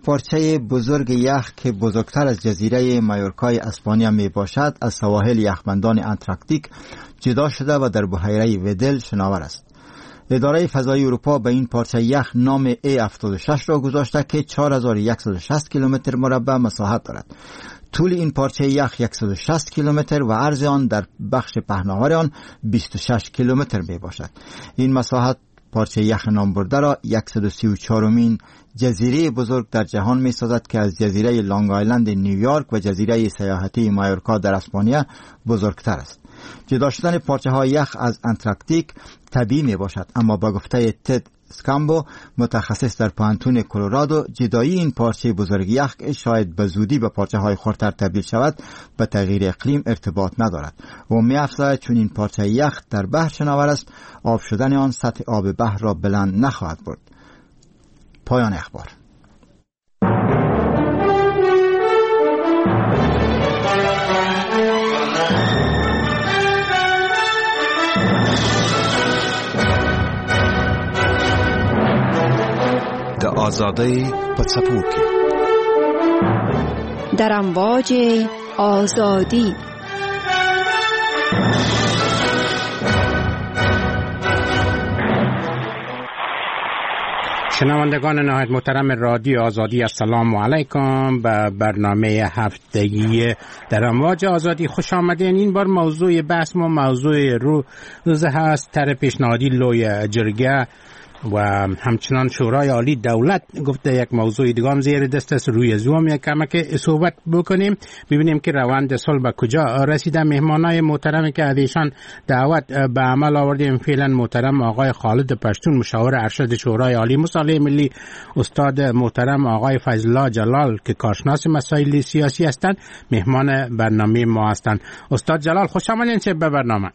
پارچه بزرگ یخ که بزرگتر از جزیره مایورکای اسپانیا می باشد از سواحل یخبندان انتارکتیک جدا شده و در بحیره ودل شناور است. اداره فضایی اروپا به این پارچه یخ نام A76 را گذاشته که 4160 کیلومتر مربع مساحت دارد. طول این پارچه یخ 160 کیلومتر و عرض آن در بخش پهناور آن 26 کیلومتر می باشد. این مساحت پارچه یخ نامبرده را 134مین جزیره بزرگ در جهان می سازد که از جزیره لانگ آیلند نیویورک و جزیره سیاحتی مایورکا در اسپانیا بزرگتر است. جدا شدن پارچه های یخ از انتارکتیک طبیعی می باشد، اما با گفته تد سکامبو متخصص در پوهنتون کلرادو، جدایی این پارچه بزرگ یخ شاید به زودی به پارچه های خردتر تبدیل شود به تغییر اقلیم ارتباط ندارد. و می افزاید چون این پارچه یخ در بحر شناور است، آب شدن آن سطح آب بحر را بلند نخواهد برد. پایان اخبار. د آزادۍ په څپو کې در امواج آزادی. شنوندگان نهایت محترم رادیو آزادی، السلام علیکم. به برنامه هفتگی در امواج آزادی خوش آمدین. این بار موضوع بحث ما موضوع روز هست، طرح پیشنهادی لوی جرگه و همچنان شورای عالی دولت گفته یک موضوع دیگه هم زیر دست است. روی زوم یک کمک صحبت بکنیم، ببینیم که روند صلح به کجا رسیده. مهمانای محترم که از ایشان دعوت به عمل آوردیم فعلا محترم آقای خالد پشتون، مشاور ارشد شورای عالی مصالحه ملی، استاد محترم آقای فضل الله جلال که کارشناس مسائل سیاسی هستند، مهمان برنامه ما هستند. استاد جلال خوش آمدین به برنامه.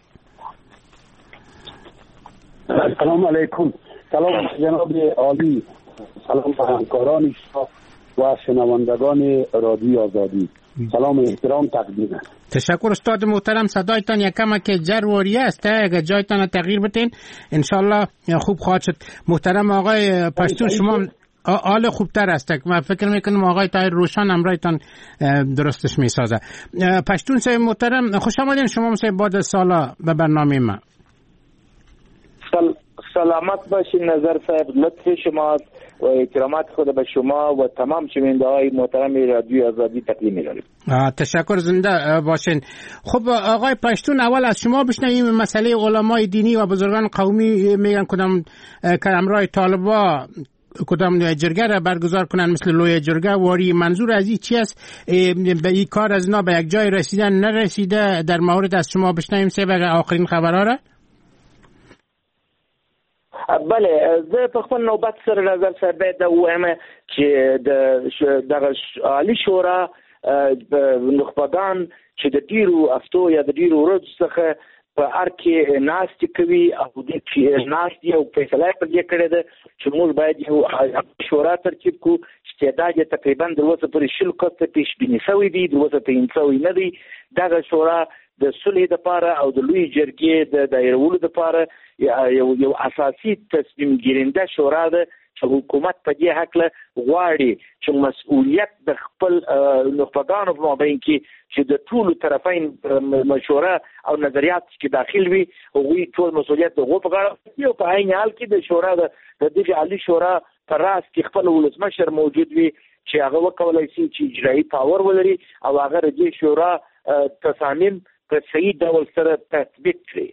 سلام علیکم. سلام جناب عالی، سلام به همکاران شما و شنوندگان رادیو آزادی. سلام و احترام تقدیم. تشکر استاد محترم. صدایتان یکم که جرواری است، اگر جایتان تغییر بدین انشالله خوب خواهد شد. محترم آقای پشتون، شما حال خوبتر است. من فکر میکنم آقای طاهر روشان همراهتان درستش میسازه. پشتون صاحب محترم خوش آمدین شما صاحب بعد سالا به برنامه ما. سلامت باشین نظر صاحب، لطف شما و احترامات خود به شما و تمام شنونده های محترم رادیو آزادی تقدیم می‌داریم. تشکر، زنده باشین. خب آقای پشتون، اول از شما بشنویم مسئله علمای دینی و بزرگان قومی میگن کدام که همراه طالبا کدام جرگه را برگزار کنن مثل لوی جرگه واری. منظور از این چی است؟ به این کار از اینا به یک جای رسیدن نرسیده؟ در مورد از شما بشنویم سه آخرین خبرها را. بله، زه په خپل نوبت سره نظر صاحب باید دا ووایم چې د دغه عالي شورا نخبګان چې د ډیرو هفتو یا د ډیرو ورځو څخه په ارګ کې ناستې کوي او دې کې ناستې او فیصله یې پر دې کړې ده چې موږ باید یو شورا ترتیب کړو چې تعداد یې تقریبا تر اوسه پورې 20 کسه پیشبیني شوی دی، تر اوسه تعیین شوی نه دی. دغه شورا د صلح دپاره او د لوی جرګې د دایرولو دپاره یو اساسي تصمیم ګیرنده شورا ده چې حکومت په دې هکله غواړي چې مسؤلیت د خپل نخبګانو په مابین کې چې د ټولو طرفین مشوره او نظریات کې داخل وي، هغوی ټول مسؤلیت د هغو په غاړه او په عین حال کې د شورا د دغې عالي شورا په راس کې خپل ولسمشر موجود وي چې هغه وکولای شي چې اجرایي پاور ولري او هغه د دې شورا تصامیم په صحیح ډول سره تطبیق کړي.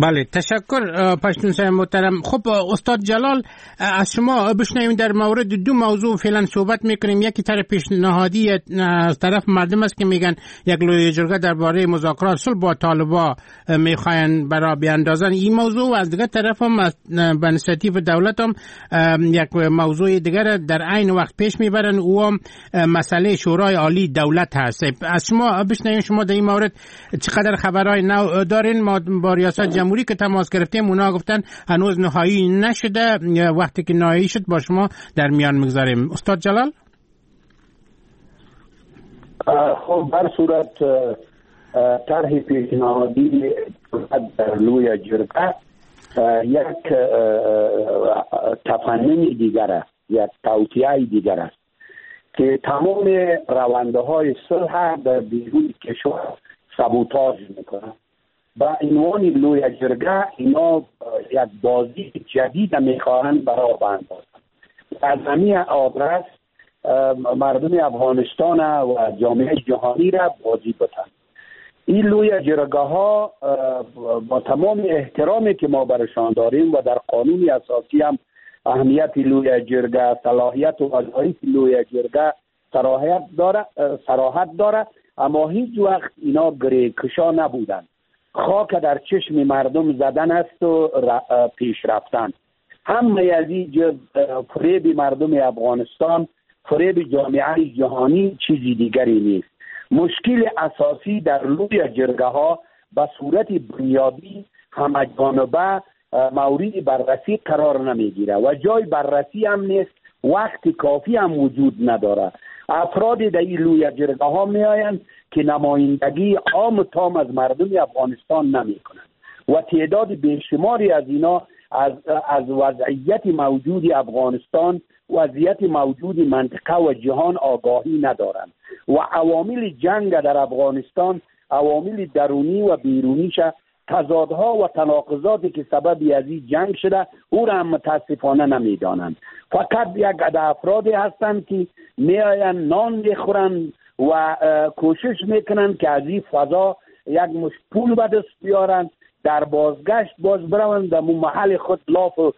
بله، تشکر پشتون صاحب محترم. خب استاد جلال، از شما بشنویم در مورد دو موضوع فعلا صحبت میکنیم. یکی طرف پیشنهادی از طرف مردم است که میگن یک لوی جرگه درباره مذاکرات صلح با طالبا میخواین برا بیاندازن این موضوع، و از دیگر طرف هم به اینیشیاتیو دولت هم یک موضوع دیگر در عین وقت پیش میبرن، او هم مسئله شورای عالی دولت هست. از شما بشنویم شما در این مورد چقدر خبرهای نو دارین؟ ما با ریاست جمهوری که تماس گرفتیم اونا گفتن هنوز نهایی نشده، وقتی که نهایی شد با شما در میان میگذاریم. استاد جلال. خب بر صورت طرح پیشنهادی در لوی جرگه یک تفنن دیگر است. یک توطئه دیگر است که تمام رونده های صلح در بیرون کشور سابوتاژ میکنه. با عنوان لوی جرگه اینا یک بازی جدید میخواهند برای بندازند. از همین آدرس مردم افغانستان و جامعه جهانی را بازی بتن. این لوی جرگه ها با تمام احترامی که ما برشان داریم و در قانون اساسی هم اهمیت لوی جرگه، صلاحیت و وظایف لوی جرگه صراحت داره، اما هیچ وقت اینا گره کشا نبودن. خاک در چشم مردم زدن است و پیش رفتن. همه از این فریب مردم افغانستان، فریب جامعه جهانی چیزی دیگری نیست. مشکل اساسی در لوی جرگه ها به صورت بنیادی همه جانبه مورد بررسی قرار نمیگیره و جای بررسی هم نیست، وقت کافی هم وجود نداره. افراد در این لوی جرگه ها می آیند که نمایندگی عام تام از مردم افغانستان نمی کنند و تعداد بیشماری از اینا از وضعیت موجود افغانستان، وضعیت موجود منطقه و جهان آگاهی ندارند و عوامل جنگ در افغانستان، عوامل درونی و بیرونیش، تضادها و تناقضاتی که سبب از این جنگ شده او را هم متاسفانه نمیدانند. فقط یک عده افرادی هستند که میآیند نان میخورند و کوشش میکنند که از این فضا یک مشت پول به دست بیارند، در بازگشت باز بروند در محل خود لاف و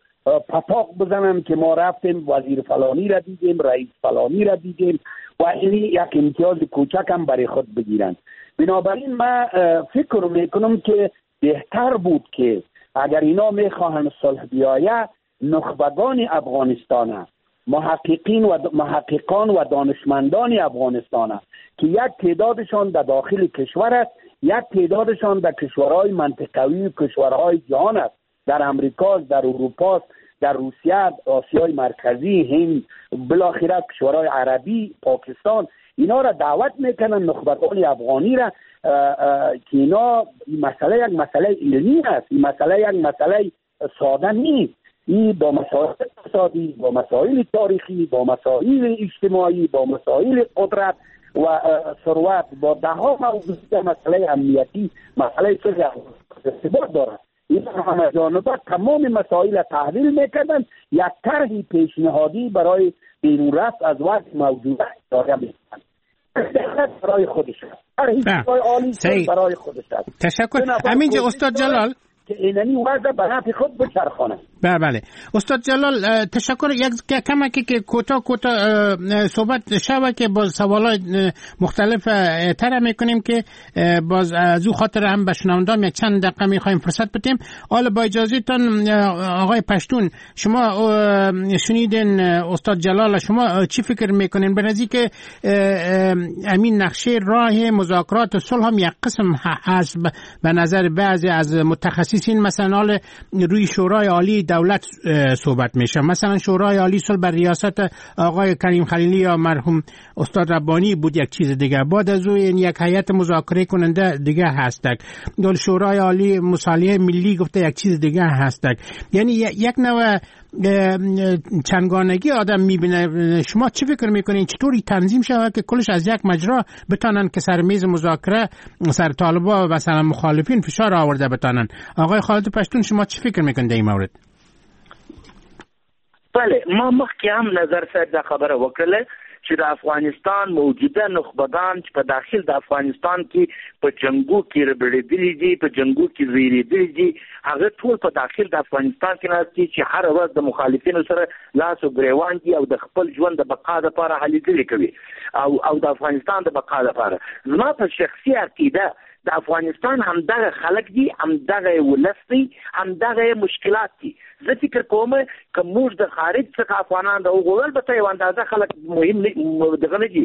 پتاق بزنند که ما رفتیم وزیر فلانی را دیدیم، رئیس فلانی را دیدیم و این یک امتیاز کوچک هم برای خود بگیرند. بنابراین من فکر میکنم که بهتر بود که اگر اینا میخواهند صلح بیاید، نخبگان افغانستان، محققین و محققان و دانشمندان افغانستان که یک تعدادشان در داخل کشور است، یک تعدادشان در کشورهای منطقوی و کشورهای جهان است، در امریکا، در اروپا، در روسیه، آسیای مرکزی، هند، بالاخره کشورهای عربی، پاکستان، اینا را دعوت میکنن، نخبگان افغانی را، که اینا این مسئله یک مسئله علمی است، این مسئله یک مسئله ساده نیست. این با مسائل اقتصادی، با مسائل تاریخی، با مسائل اجتماعی، با مسائل قدرت و ثروت، با ده ها موضوع مسئله امنیتی، مسئله صلح ارتباط دارد. این همه جانبه تمام مسائل تحلیل میکردن، یک طرح پیشنهادی برای بیرون رفت از وضع موجوده ارائه میکردن. برای خودش است، برای خودش است. تشکر. همینجا استاد جلال که ایننی وضع به نفع خود بچرخانه. بله استاد جلال تشکر. یک کمکی که کوتاه کوتاه صحبت شوه که باز سوالای مختلف طرح میکنیم که باز از او خاطر هم به شنوندان یک چند دقیقه میخوایم فرصت بدیم. حالا با اجازه تان آقای پشتون، شما شنیدین استاد جلال، شما چی فکر میکنین به نزدیک که امین نقشه راه مذاکرات صلح هم یک قسم هست به نظر بعضی از متخصصین، مثلا روی شورای عالی دولت صحبت میشه، مثلا شورای عالی صلح بر ریاست آقای کریم خلیلی یا مرحوم استاد ربانی بود، یک چیز دیگه، بعد از او یک هیئت مذاکره کننده دیگه هستک، شورای عالی مصالحه ملی گفته یک چیز دیگه هستک، یعنی یک نوع چنگانگی آدم میبینه. شما چی فکر میکنین چطوری تنظیم شود که کلش از یک مجرا بتانن که سر میز مذاکره سر طالبا و مثلا مخالفین فشار آورده بتانن؟ آقای خالد پشتون شما چی فکر میکنید در این مورد؟ بله، ما مخکې هم نظر صاحب دا خبره وکړله چې د افغانستان موجوده نخبګان چې په داخل د افغانستان کې په جنګو کې ربړېدلي دي، په جنګو کې زیرېدلي دي، هغه ټول په داخل د افغانستان کې ناست دي چې هره ورځ د مخالفینو سره لاس او ګریوان دي او د خپل ژوند د بقا دپاره هلې ځلې کوي او د افغانستان د بقا دپاره. زما په شخصي عقیده د افغانستان همدغه خلک دي، همدغه ولس دی، همدغه مشکلات دي. زه فکر کوم که موږ د خارج څخه افغانان راوغوښتل به ته یو اندازه خلک مهم دغه نه دي،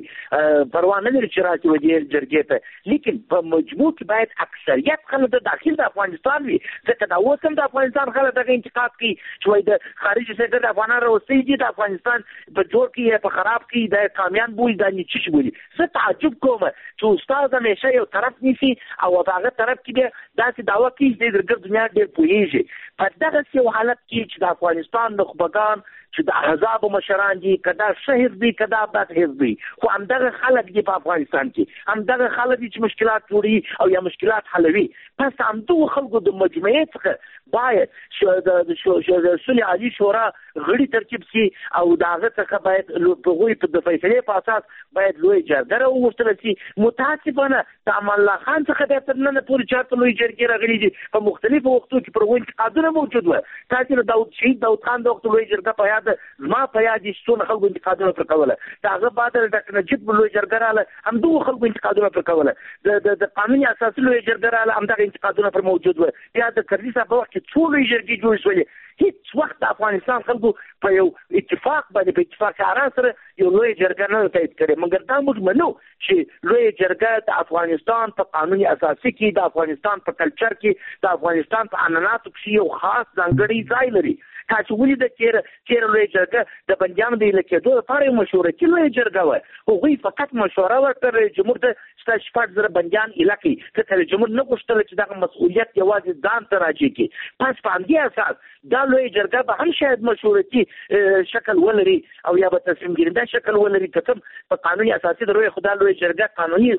پروا نه لري چې راشي و دې جرګې ته، لیکن په مجموع کې باید اکثریت خلک د داخل د افغانستان وي، ځکه دا اوس هم د افغانستان خلک دغه انتقاد کوي چې وایي د خارج څخه د افغانان راوستي دي، د افغانستان په جوړ کې یا په خراب کې د کامیان بولي، دا نیچه بولي. زه تعجب کوم چې استاد همیشه یو طرف نیسي او په هغه طرف کې بیا داسې دعوه کوي چې د ګرد دنیا ډېر پوهېږي. په دغسې یو حالت کې چې د افغانستان نخبګان چې د احزابو مشران دي، که دا ښه حزب وي که دا بد حزب وي، خو همدغه خلک دي په افغانستان کې، همدغه خلک دي چې مشکلات جوړوي او یا مشکلات حلوي. پس همدغو خلکو د مجموعې څخه باید د سولې عالي شورا غړي ترتیب سي او د هغه څخه باید هغوی د فیصلې په اساس باید لوی جرګه راوغوښتل سي. متاسفانه د امان الله خان څخه بیا تر ننه پورې چارته لوی جرګې راغلي دي، په مختلفو وختو کې پر هغوی انتقادونه موجود وه. تاسې د شهید داود خان د وخت لوی جرګه په یاد، زما په یاد دي چې څونه خلکو انتقادونه پر کوله. د هغه بعد د ډاکټر نجیب لوی جرګه راغله، همدغو خلکو انتقادونه پر کوله. د قانون اساسي لوی جرګه راغله، همدغه انتقادونه پر موجود وه. بیا د کرزي صاحب په وخت کې څو لوی جرګې جوړې شولې. هیڅ وخت د افغانستان خلکو په یو اتفاق باندې، په اتفاق آرا سره یو لوی جرګه نه تایید کړې. مګر دا موږ منو چې لوی جرګه د افغانستان په قانون اساسي کې، د افغانستان په کلچر کې، د افغانستان په عنعناتو کې یو خاص ځانګړی ځای لري. تاسو ولیده تېره لویه جرګه د بندیانو د ایله کېدو لپاره یو مشورتي لویه جرګه وه. هغوی فقط مشوره ورکړه رئیس جمهور ته چې تاسو 6,000 بندیان ایله کړئ، ځکه رئیس جمهور نه غوښتله چې دغه مسؤلیت یوازې ځان ته راجع کړي. پس په همدې اساس دا لویه جرګه به هم شاید مشورتي شکل ولري او یا به تصمیم ګیرنده شکل ولري. که څه په قانون اساسي د لویې خدا لویه جرګه قانوني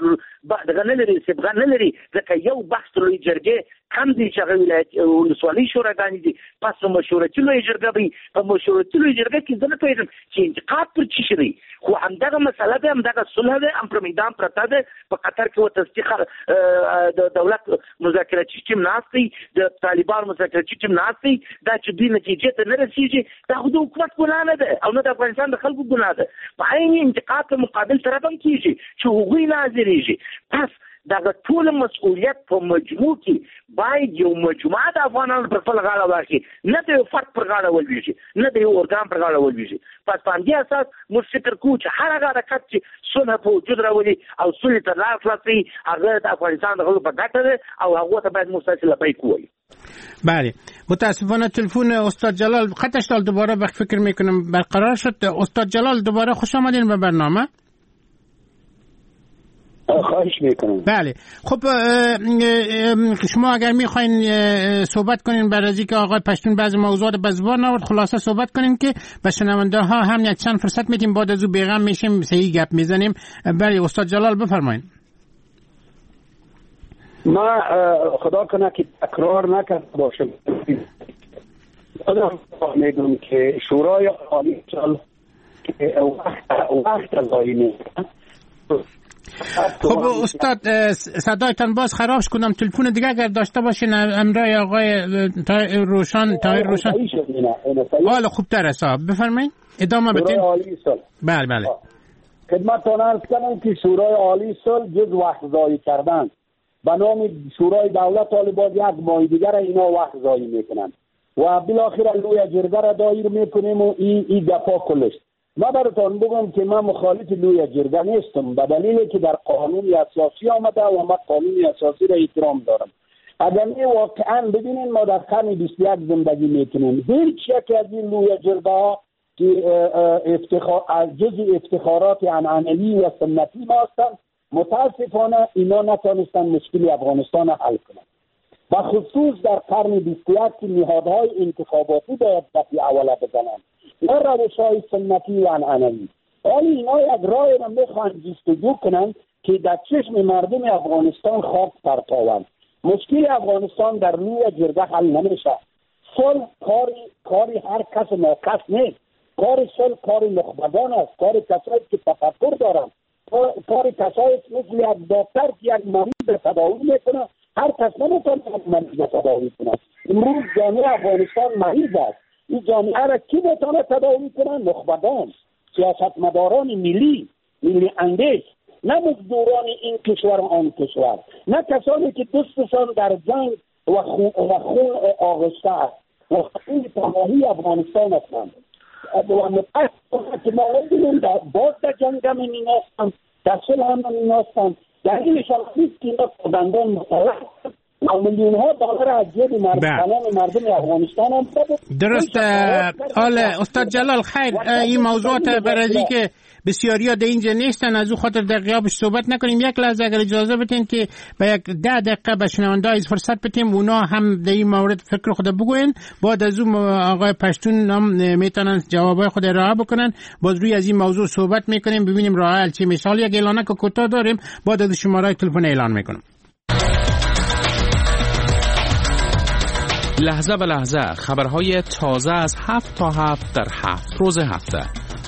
دغه نه لري، صبغه نه لري، ځکه یو بحث د لویې جرګې کم دی چې هغه ولایت ولسوالۍ شوراګانې دي. پس په مشورتي لویه جرګه به، په مشورتي لویه جرګه کې زه نه پوهېږم چې انتقاد پر څه شي دی، خو همدغه مسله ده، همدغه صلح ده، هم پر میدان پرته ده. په قطر کې ورته د دولت مذاکراتي ټیم ناست دی، د طالبانو مذاکراتي ټیم ناست دی. دا چې دوی نتیجې ته نه رسېږي دا خو د حکومت ګناه نه ده او نه د افغانستان د خلکو ګناه ده. په عین انتقاد په مقابل طرف هم کېږي چې هغوی نه حاضرېږي. پس دغه ټول مسؤلیت په مجموع کې باید یو مجموعه د افغانانو پر خپل غاړه واخلي، نه د یو فرد پر غاړه ولوېږي، نه د یو ارګان پر غاړه ولوېږي. پس په همدې اساس موږ فکر کوو چې هر هغه حرکت چې صلح په وجود راولي او سولې ته لار خلاصوي هغه د افغانستان د خلکو په ګټه ده او هغو ته باید موږ تاسې لبیک ووایو. بله، متاسفانه تلفن استاد جلال خطش دوباره وقت فکر میکنم برقرار شد. استاد جلال دوباره خوش آمدین به برنامه. خواهش میکنم. بله، خب شما اگر میخواین صحبت کنین بعد از اینکه آقای پشتون بعضی موضوعات به زبان آورد، خلاصه صحبت کنین که به شنونده ها هم یک چند فرصت میدیم، بعد از او بیغم میشیم صحیح گپ میزنیم. بله استاد جلال بفرمایین. ما خدا کنه که تکرار نکرده باشم، میگم که شورای عالی صلح که وقت ضایع نیست. خب استاد صدایتان باز خراب کنم، تلفن دیگه اگر داشته باشین امرای آقای روشان طاهر روشان حالا خوبتر است، بفرمایید ادامه بدین. بله بله، خدمتتان عرض کنم که شورای عالی صلح جز وقت ضایع کردن به نام شورای دولت طالبان یک ماه دیگر اینا وقت ضایع میکنن و بالاخره لوی جرگه را دایر میکنیم و این گپا کلش. ما براتون بگم که من مخالف لوی جرگه نیستم، به دلیل که در قانون اساسی آمده و ما قانون اساسی را احترام دارم. اگر واقعا ببینین ما در قرن 21 زندگی میکنیم، هیچ یک از این لوی جرگه ها که جزء افتخارات عنعنوی و سنتی ما هستند، متاسفانه اینا نتانستن مشکل افغانستان را حل کنند. و خصوص در قرن 21 که نهادهای انتخاباتی باید دفعه اوله بزنند، نه روش‌های سنتی و عنعنوی. ولی اینا یک راه را میخواهند جستجو کنند که در چشم مردم افغانستان خاک پرتاوند. مشکل افغانستان در لوی جرگه حل نمیشه. صلح کاری هر کس ناکس نیست. کار صلح کار نخبگان است، کار کسایی که تفکر دارند، کار کسایی مثل یک دکتر که یک مریض تداوی میکنه. هر کس نمیتونه یک مریض تداوی کنه. امروز جامعه افغانستان مریض است. این جامعه را کی میتونه تداوی کنه؟ نخبگان، سیاستمداران ملی، ملی اندیش، نه مزدوران این کشور و آن کشور، نه کسانی که دستشان در جنگ و خون آغشته است و خون تباهی افغانستان هستند. و متاسفانه که ما می‌بینیم باز در جنگ هم این هستند، در صلح هم این هستند. دلیلش هم نیست که اینا پابندان مسلح و میلیون ها دلار از جیب مردم افغانستان هم. درست. حالا استاد جلال خیر، این موضوعات برای که بسیاری ها در اینجا نیستن، از او خاطر در غیابش صحبت نکنیم. یک لحظه اگر اجازه بدین که به یک 10 دقیقه به شنونده های فرصت بدیم، اونا هم در این مورد فکر خود بگوین، بعد از او آقای پشتون هم میتونن جوابای خود ارائه بکنن، باز روی از این موضوع صحبت میکنیم، ببینیم راه حل چی میشه. یک اعلانه که کوتاه داریم، بعد از شماره تلفن اعلان میکنم. لحظه به لحظه خبرهای تازه از 7 تا 7 در 7 روز هفته.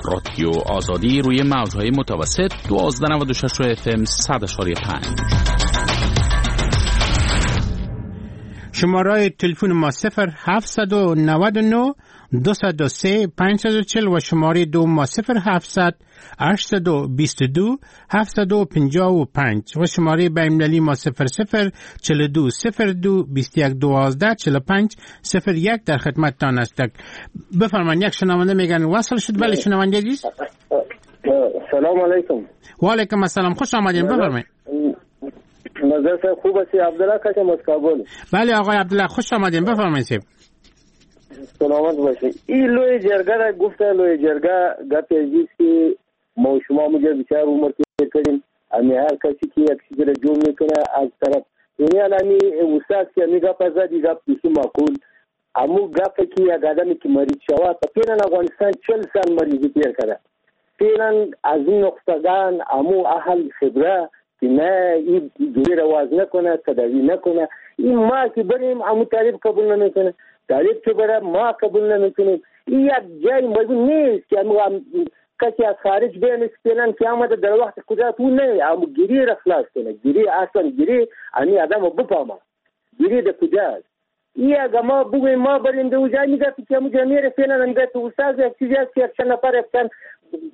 رادیو آزادی روی موج‌های متوسط 1296 FM 100.5. شماره تلفن ما 0799 203 540 و شماره دو ما 0700 822 755 و شماره بین‌المللی ما 00 42 02 21 12 45 01 در خدمتتان است. بفرمایید. یک شنونده میگن وصل شد. بله شنونده عزیز، سلام علیکم. و علیکم السلام، خوش آمدین، بفرمایید. نظر صاحب خوب هستی؟ عبدالله کشم از کابل. بله آقای عبدالله خوش آمدین، بفرمایید. سلامت باشید. این لوی جرگه را گفته، لوی جرگه گپ عزیز که ما شما مجا بسیار عمر تیر کردیم، امی هر کسی که یک چیز را جور میکنه از طرف یعنی الانی استاد که امی گپ زد، این گپ بسیار معقول، امو گپ که یک آدمی که مریض شود، فعلا افغانستان 40 سال مریضی تیر کرده، فعلا از این نقطگان امو اهل خبره که نه این دوری را واز نکنه، تداوی نکنه، این ما که بریم امو طالب قبول نمیکنه، طالب که بره ما قبول نمیکنیم. این یک جای موضوع نیست که کسی از خارج بیان فعلا که آمده در وقت قدرت او نه، امو گیری را خلاص کنه، گیری اصلا گیری امی آدم بفهمه گیری در کجاست. این اگه ما بگویم ما بریم در اونجا میگه که امو جا میره، فعلا میگه تو استاد یک چیزی هست که یک چند نفر یک چند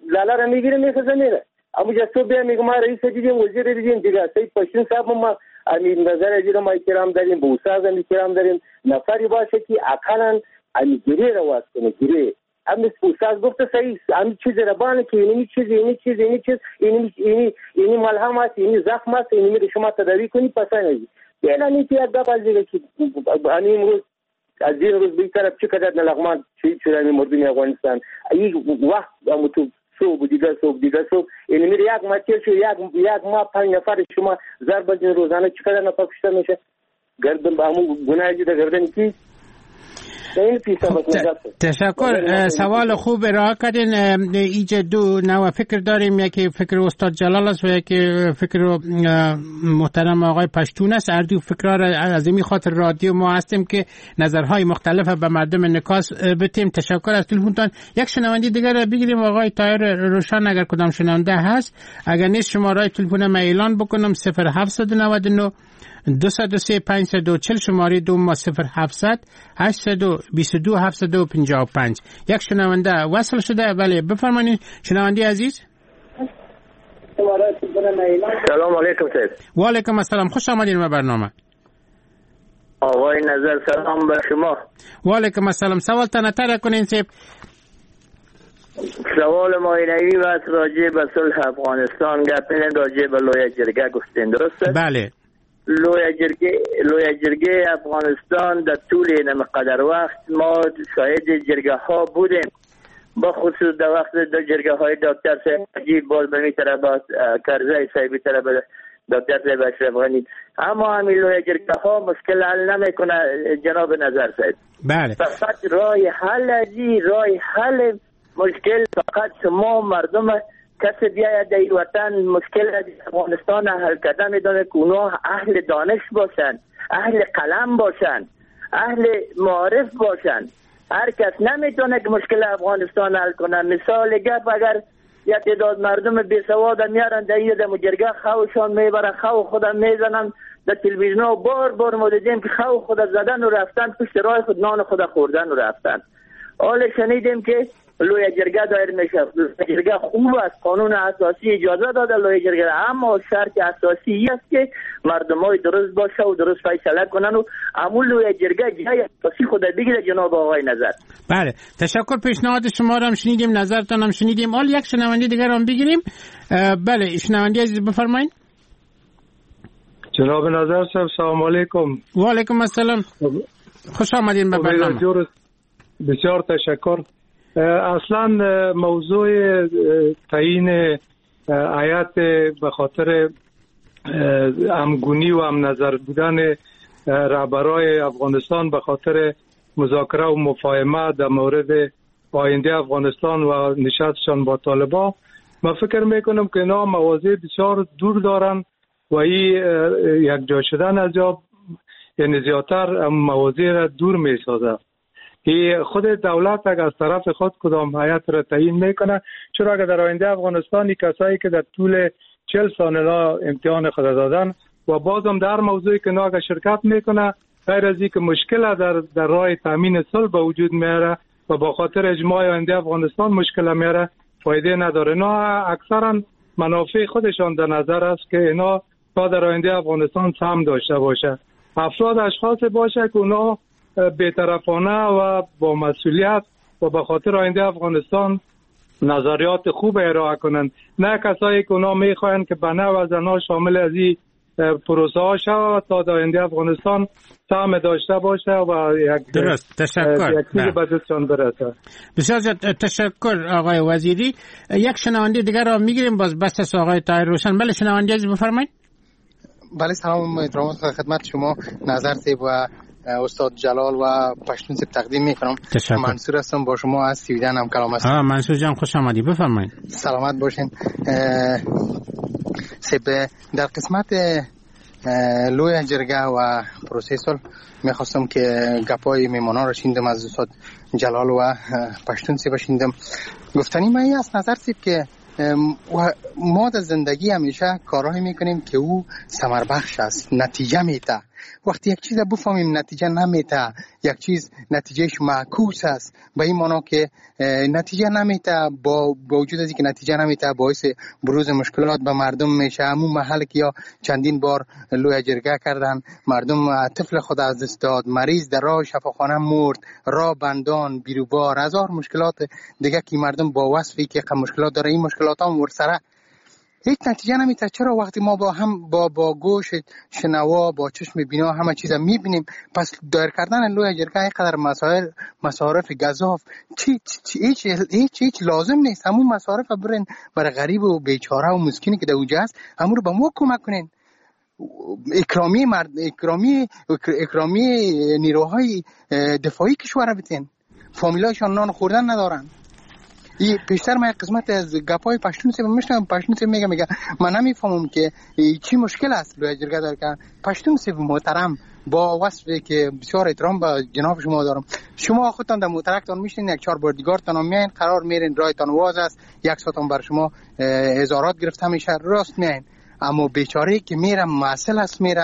لالا را میگیره میخزه میره، امو جا صبح بیا میگه ما رئیس دیدیم، وزیر دیدیم دیگه، سید پشتون صاحب ما امی نظر از ما احترام داریم، به استاد هم احترام داریم، نفری باشه که اقلا امی گیری را واز کنه، گیری امی استاد گفته صحیح، امی چیز را بانه که اینی چیز اینی چیز اینی چیز اینی اینی اینی ملهم است، اینی زخم است، اینی می شما تداوی کنی پس نه. فعلا این که یک گپ از دیگه که امی امروز از این روز به طرف چقدر لغمان شهید شده امی مردم افغانستان، این وقت امو تو صبح دیگه صبح دیگه صبح یعنی میره یک ماه تیر شد، یک ماه 5 نفر شما ضرب بزنید روزانه چقدر نفر کشته میشه، گردن به همون گناه در گردن کی. تشکر، سوال خوب ارائه کردین. اینجا دو نوع فکر داریم، یکی فکر استاد جلال است و یکی فکر محترم آقای پشتون است. هر دو فکرها را از این خاطر رادیو ما هستیم که نظرهای مختلف به مردم انعکاس بتیم. تشکر از تلفنتان. یک شنونده دیگر را بگیریم، آقای طاهر روشن اگر کدام شنونده هست، اگر نیست شماره تلفن ما اعلان بکنم 0799 203 540، شماره دو ما 0700 822 755. یک شنونده وصل شده. بله بفرمایید شنونده عزیز. سلام علیکم سید. و علیکم السلام، خوش آمدین به برنامه. آقای نظر سلام به شما. و علیکم السلام، سوال تان طرح کنین سید. سوال ما اینه و راجع به صلح افغانستان گپ راجع به لویه جرگه گفتین، درسته؟ بله. لویه جرگه افغانستان در طول این مقدر وقت ما شاهد جرگه ها بودیم، با خصوص در وقت در جرگه های دکتر صاحب نجیب، باز به می طرف کرزی صاحب طرف دکتر صاحب اشرف غنی، اما همین لویه جرگه ها مشکل حل نمیکنه جناب نظر صاحب. بله. فقط راه حل ازی، راه حل مشکل فقط شما مردم کسی بیاید در وطن مشکل افغانستان حل کردن میدونه که اونا اهل دانش باشن، اهل قلم باشن، اهل معارف باشن. هر کس نمیتونه که مشکل افغانستان حل کنه. مثال گپ اگر یک تعداد مردم بی سواد میارن در این دم جرگه خوشان میبرن، خو خودم میزنن در تلویزیون، بار بار ما دیدیم که خو خود زدن و رفتن پشت راه خود نان خود خوردن و رفتن. حال شنیدیم که لویه جرگه دایر میشه. لویه جرگه خوب است، قانون اساسی اجازه داده لویه جرگه، اما شرط اساسی است که مردمای درست باشه و درست فیصله کنن و امون لویه جرگه جای اساسی خود بگیره جناب آقای نظر. بله تشکر، پیشنهاد شما را هم شنیدیم، نظرتان هم شنیدیم. حال یک شنونده دیگر هم بگیریم. بله شنونده عزیز بفرمایید. جناب نظر صاحب سلام علیکم. و علیکم السلام، خوش آمدین به برنامه. بسیار تشکر. اصلا موضوع تعیین هیئت به خاطر همگونی و هم نظر بودن رهبرای افغانستان به خاطر مذاکره و مفاهمه در مورد آینده افغانستان و نشستشان با طالبان، من فکر میکنم که اینا مواضع بسیار دور دارن و این یک جا شدن از جا یعنی زیادتر مواضع را دور میسازه. خود دولت اگر از طرف خود کدام هیئت را تعیین میکنه، چرا اگر در آینده افغانستان کسایی که در طول 40 سال امتحان خود دادن و بازم در موضوعی که ناگه شرکت میکنه، غیر از اینکه مشکل در راه تامین صلح به وجود میاره و با خاطر اجماع آینده افغانستان مشکل میاره، فایده نداره. نه اکثرا منافع خودشان در نظر است که اینا تا در آینده افغانستان سهم داشته باشه، افراد اشخاص باشه که اونا بی‌طرفانه و با مسئولیت و به خاطر آینده افغانستان نظریات خوب ارائه کنند، نه کسایی که اونا میخواهند که بنا و زنا شامل از این پروسه ها شود تا در آینده افغانستان سهم داشته باشه و یک درست. تشکر. یک چیز به دستشان برسه. بسیار تشکر آقای وزیری. یک شنونده دیگر را میگیریم باز بس از آقای طاهر روشن. بله شنونده عزیز بفرمایید. بله سلام احترامات خدمت شما نظر صاحب و استاد جلال و پشتون صاحب تقدیم میکنم. منصور هستم با شما از سویدن هم کلام هستم. منصور جان خوش آمدی، بفرمایید. سلامت باشین. صاحب در قسمت لوی جرگه و پروسه صلح میخواستم که گپای میمانان را شنیدم از استاد جلال و پشتون صاحب شنیدم. گفتنی من این است نظر صاحب که ما در زندگی همیشه کارهایی میکنیم که او ثمر بخش است، نتیجه میده. وقتی یک چیز بفهمیم نتیجه نمیده، یک چیز نتیجهش معکوس است، به این معنا که نتیجه نمیده، با وجود از اینکه نتیجه نمیده باعث بروز مشکلات به مردم میشه. همون محل که یا چندین بار لوی جرگه کردن، مردم طفل خود از دست داد، مریض در راه شفاخانه مرد، راه بندان، بیروبار، هزار مشکلات دیگه که مردم با وصفی که مشکلات داره، این مشکلات هم ورسره هیچ نتیجه نمیده. چرا وقتی ما با هم با گوش شنوا با چشم بینا همه چیز میبینیم، پس دایر کردن لوی جرگه اینقدر مسائل مصارف گزاف چی هیچ هیچ هیچ لازم نیست. همون مصارف برین برای غریب و بیچاره و مسکینی که در اونجا است، همون رو به ما کمک کنین. اکرامی مرد اکرامی نیروهای دفاعی کشور بتین، فامیلایشان نان خوردن ندارن. ای پیشتر من قسمت از گپای پشتون سه میشنم، پشتون سه میگه من نمیفهمم که چی مشکل است لوی جرگه دار که پشتون سه محترم با وصفی که بسیار احترام به جناب شما دارم، شما خودتان در موترکتان میشین، یک چهار بردیگارتان میاین، قرار میرین، رایتان واز است، یک ساعتان بر شما هزارات گرفته میشه، راست میاین. اما بیچاره که میره معسل است، میره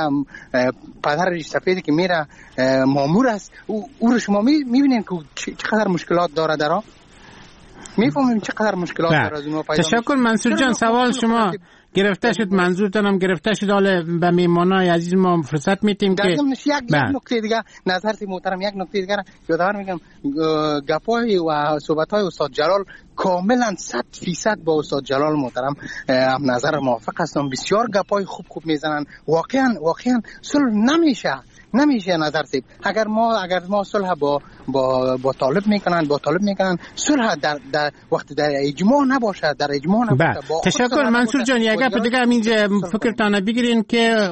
پدر ریش سفید که میره مامور است، او رو شما میبینین که چقدر مشکلات داره درا، میفهمیم چقدر مشکلات داره از اونها پیدا. تشکر منصور جان، سوال شما گرفته شد، منظورتان هم گرفته شد. حالا به میهمانای عزیز ما فرصت میتیم که یک نکته دیگه نظر محترم، یک نکته دیگه یادآور میگم، گپای و صحبت‌های استاد جلال کاملا 100% با استاد جلال محترم هم نظر موافق هستم. بسیار گپای خوب خوب میزنن، واقعا صلح نمیشه نظر سیب. اگر ما صلح با طالب میکنن، با طالب میکنن، صلح در وقت در اجماع نباشه، در اجماع نباشه. تشکر منصور جان. یک گپ دیگه هم اینجا فکرتان بگیرین که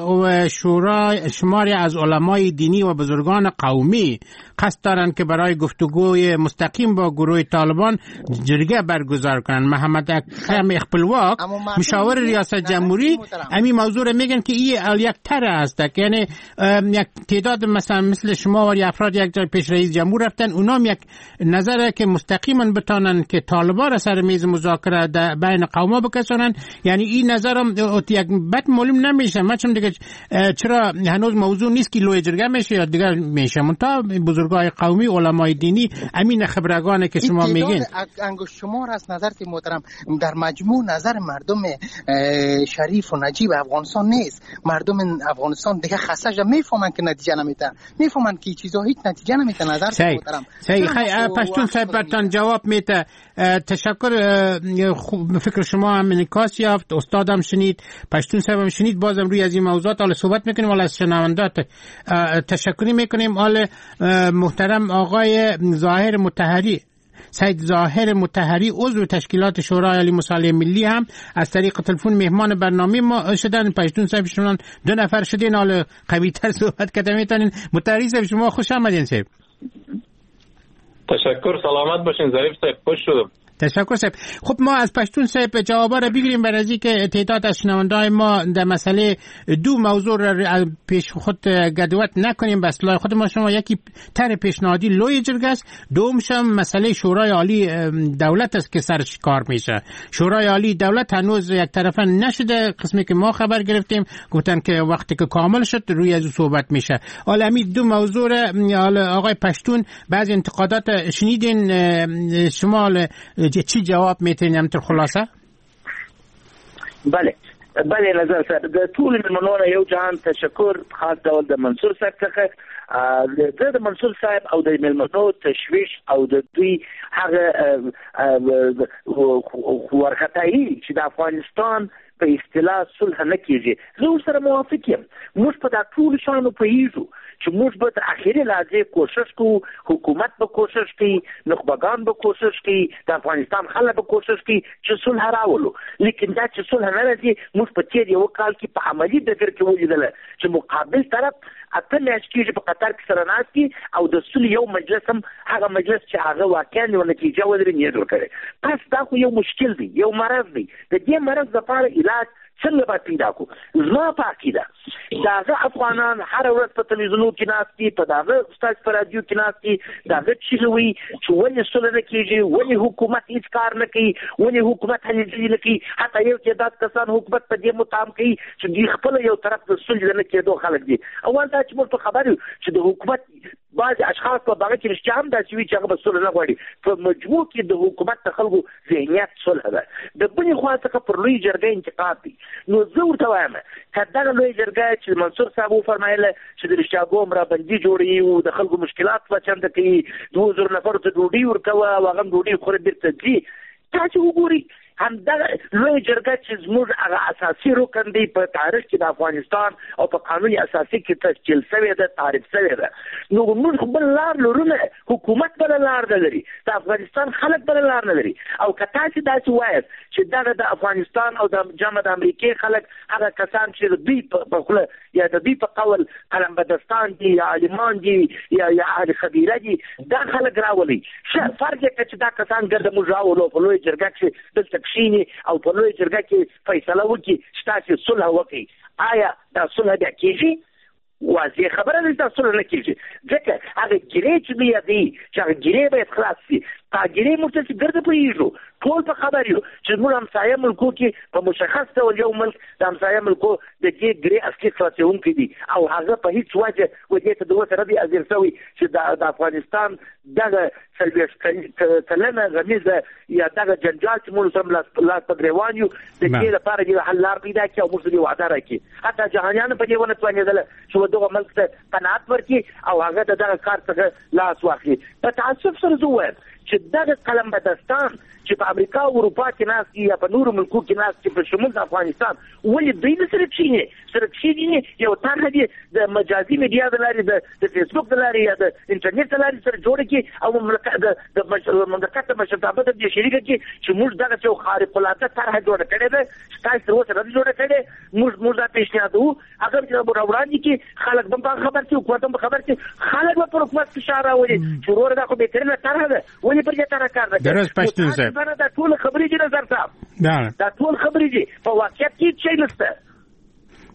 شورا شماری از علمای دینی و بزرگان قومی قصد دارند که برای گفتگوی مستقیم با گروه طالبان جرگه برگزار کنند. محمد اکرم خپلواک مشاور ریاست جمهوری همین موضوع رو میگن که این یک طرح است، یعنی یک تعداد مثلا مثل شما و افراد یک جای پیش رئیس جمهور رفتن، اونام یک نظره که مستقیما بتانن که طالبان را سر میز مذاکره بین قوما بکشانن. یعنی این نظرم یک بد معلوم نمیشه. من چون دیگه چرا هنوز موضوع نیست که لوی جرگه میشه یا دیگر میشه، منتها بزرگای قومی علمای دینی امین خبرگانه که شما میگین انگشت شمار از نظر محترم در مجموع نظر مردم شریف و نجیب افغانستان نیست. مردم افغانستان دیگه خسته شده، میفهمن که نتیجه نمیده. میفهمند که چیزا هیچ نتیجه نمیده. نظر محترم صحیح. پشتون صاحب برتان جواب میده. تشکر. فکر شما هم انعکاس یافت، استادم شنید، پشتون صاحب هم شنید. بازم روی از این موضوعات حالا صحبت میکنیم. حالا از شنوندات تشکری میکنیم. حالا محترم آقای ظاهر مطهری، سید ظاهر مطهری، عضو تشکیلات شورای عالی مصالحه ملی، هم از طریق تلفن مهمان برنامه ما شدن. پشتون صاحب شما دو نفر شدین، حالا قوی‌تر صحبت کردن میتونین. مطهری صاحب شما خوش آمدین صاحب. تشکر، سلامت باشین ظریف صاحب، خوش شدم. تشکر صاحب. خب ما از پشتون صاحب جوابا را بگیریم برای اینکه تعداد از شنونده‌های ما در مسئله دو موضوع را پیش خود گدوت نکنیم. بس لای خود ما شما یکی طرح پیشنهادی لوی جرگه است، دومش هم مسئله شورای عالی دولت است که سرش کار میشه. شورای عالی دولت هنوز یک طرفه نشده، قسمی که ما خبر گرفتیم گفتن که وقتی که کامل شد روی از صحبت میشه. حالا همین دو موضوع را آقای پشتون بعضی انتقادات شنیدین، شما چی جواب میتونیم همطور خلاصه؟ بله بله نظر صاحب، د ټولو مېلمنو نه یو جهان تشکر، خاص ډول د منصور صاحب څخه. د منصور صاحب او د مېلمنو تشویش او د دوی هغه ورخطایي چې د افغانستان په اصطلاح صلح نه کېږي، زه ورسره موافق یم. موږ په دا ټولو شیانو پوهېږو چې موږ به تر اخري لحظې کوشش کوو، حکومت به کوشش کوي، نخبګان به کوشش کوي، د افغانستان خلک به کوشش کوي چې صلح راولو. لیکن دا چې صلح نه راځي، موږ په تېر یوه کال کې په عملي ډګر کې ولیدله چې مقابل طرف 8 میاشتې کېږي په قطر کې سره ناست دي او د سولې یو مجلس هم هغه مجلس چې هغه واقعا یوه نتیجه ولري نه جوړ کړی. پس دا خو یو مشکل دی، یو مرض دی. د دې مرض لپاره علاج څنګه باید پیدا کړو؟ زما په عقیده د هغه افغانان هره ورځ په تلویزیونو کې ناست دي، په دغه ستاسو په راډیو کې ناست دي، د هغه چیغې وایي چې ولې سوله نه کېږي، ولې حکومت هېڅ کار نه کوي، ولې حکومت هلې ځلې نه کوي. حتی یو تعداد کسان حکومت په دې متهم کوي چې دوی خپله یو طرف د سولې د نه کېدو خلک دي. اول دا چې موږ په خبر یو چې د حکومت بعضې اشخاص په هغه کې رښتیا هم داسې وي چې هغه به سوله نه غواړي. په مجموع کې د حکومت د خلکو ذهنیت سوله ده. د بلې خوا څخه پر لوی جرګه انتقاد دی. نو زه ورته وایم که دغه لوی جرګه چې منصور صاحب وفرمایله چې د رښتیاګو مرابندي جوړوي او د خلکو مشکلات به چمته کوي، 2000 نفرو ته ډوډۍ ورکوه او هغه هم ډوډۍ خوري بېرته ځي، تاسې وګورئ همدغه لوی جرګه چې زموږ هغه اساسي رکن دی په تاریخ کې د افغانستان او په قانون اساسي کې تشکیل شوې ده، تعریف شوې ده. نو موږ خو بل لار لرو نه، حکومت بله لار نه لري، د افغانستان خلک بله لار نه لري. او که تاسې داسې وایاست چې دغه د افغانستان او د جمع د امریکې خلک هغه کسان چې د دوی په خوله یا د دوی په قول قلمبدستان دي یا عالمان دي یا اهل خبیره دي، دا خلک راولئ. ښه فرض یې کړه چې دا کسان ګرده موږ راولو په لویه جرګه کښې دلته کښېني او په لویه جرګه کې فیصله وکړي چې تاسې صلح وکړئ، آیا دا صلح بیا کېږي؟ واضح خبره ده چې دا صلح نه کېږي، ځکه هغه ګیرې چې دوی یادوي چې هغه ګیرې باید خلاص شي، دا ګیرې موږ ته چې ګرده پوهېږو، ټول په خبر یو چې زموږ همسایه ملکو کې په مشخص ډول یو ملک د همسایه ملکو د دې ګرې اصلي خلاصېدونکی دی او هغه په هیڅ وجه و دې ته د اوسه نه دی حاضر شوی چې د افغانستان دغه 40 کلنه غمیزه یا دغه جنجال چې موږ سره لاس په ګرېوان یو، د دې لپاره دې حل لار پیدا کړي او موږ ته دې وعده راکړي. حتی جهانیانو په دې ونه توانېدله چې و دغه ملک ته قناعت ورکړي او هغه د دغه کار څخه لاس واخلي. په تاسف سره زه ووایم چې دغه قلمبدستان چې په امریکا او اروپا کې ناست دي یا په نورو ملکو کې ناست دي په شمول د افغانستان، ولې دوی نه سره کښېني؟ سره کښېني یو طرحه دي د مجازي میډیا د لارې، د فیسبوک د لارې یا د انټرنیټ د لارې سره جوړه کړي او د مملکت د مشرتابه ته دې شریکه کړي چې موږ دغسې یو خارق العاده طرحه جوړه کړې ده چې تاسې تر اوسه نه ده جوړه کړې، موږ دا پېشنهادوو، هغه چې راوړاندې کړي، خلک به هم په هغه خبر شي، حکومت هم به خبر شي، خلک به پر حکومت فشار راولي چې وروره دا خو بهترینه طرحه ده، ولې پر دې طرحه کار نه کوي؟ دا ټول خبرې دي نظر صاحب، دا ټول خبرې دي، په واقعیت کې هیڅ شی نشته.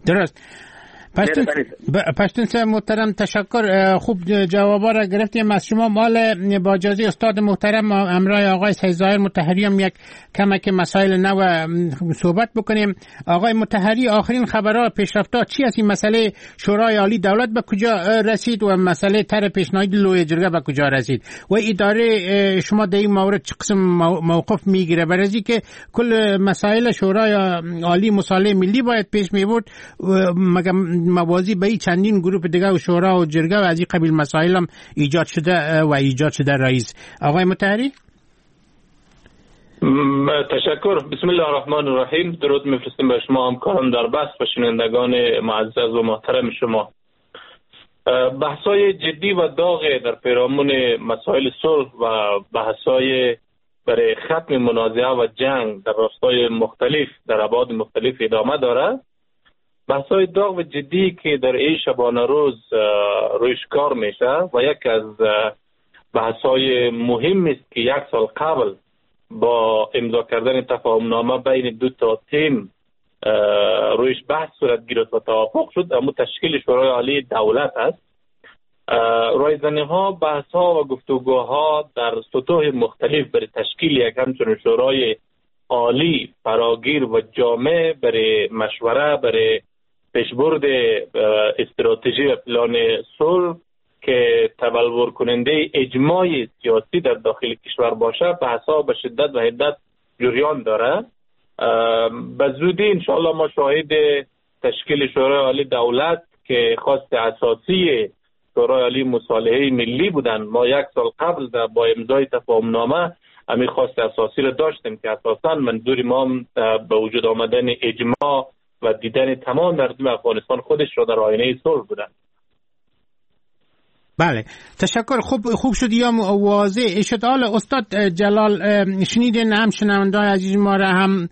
درست. پشتون صاحب محترم تشکر، خوب جوابا را گرفتیم از شما. مال با اجازه استاد محترم همراه آقای سید ظاهر مطهری هم یک کمک مسائل نو صحبت بکنیم. آقای مطهری، آخرین خبرها پیشرفت‌ها چی است؟ این مسئله شورای عالی دولت به کجا رسید و مسئله طرح پیشنهادی لوی جرگه به کجا رسید و اداره شما در این مورد چه قسم موقف میگیره؟ برای که کل مسائل شورای عالی مصالحه ملی باید پیش میبرد، مگر موازی به این چندین گروه دیگه و شورا و جرگه و از این قبیل مسائل هم ایجاد شده و ایجاد شده. رئیس آقای مطهری. تشکر. بسم الله الرحمن الرحیم. درود میفرستیم به شما همکاران در بحث و شنوندگان معزز و محترم شما. بحث‌های جدی و داغ در پیرامون مسائل صلح و بحث‌های برای ختم منازعه و جنگ در راستای مختلف در ابعاد مختلف ادامه دارد. بحث‌های داغ و جدی که در این شبانه روز رویش کار میشه و یک از بحث‌های مهم است که یک سال قبل با امضا کردن تفاهمنامه بین دو تا تیم رویش بحث صورت گرفت و توافق شد، اما تشکیل شورای عالی دولت است. رایزنی ها، بحث ها و گفتگوها در سطوح مختلف برای تشکیل یک همچون شورای عالی فراگیر و جامع برای مشوره برای پیشبرد استراتژی و پلان صلح که تبلور کننده اجماع سیاسی در داخل کشور باشه، بحث ها به شدت و حدت جریان داره. به زودی انشاءالله ما شاهد تشکیل شورای عالی دولت که خواست اساسی شورای عالی مصالحه ملی بودن، ما یک سال قبل با امضای تفاهمنامه همین خواست اساسی را داشتیم که اساساً منظور ما به وجود آمدن اجماع و دیدن تمام مردم افغانستان خودش را در آینه صلح بودن. بله تشکر. خوب شد یا واضح شد. حالا استاد جلال شنیدین هم شنونده‌های عزیز ما را، هم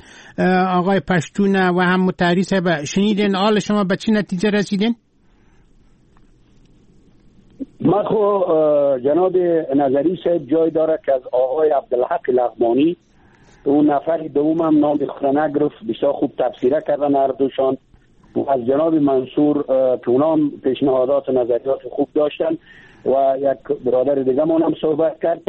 آقای پشتون و هم مطهری صاحب شنیدین. حالا شما به چه نتیجه رسیدین؟ ما خو جناب نظری صاحب جای داره که از آقای عبدالحق لغمانی، اون نفر دوم هم نام خود نگرفت، بسیار خوب تفسیره کردن هر دوشان، و از جناب منصور که اونام پیشنهادات و نظریات خوب داشتن و یک برادر دیگه من هم صحبت کرد،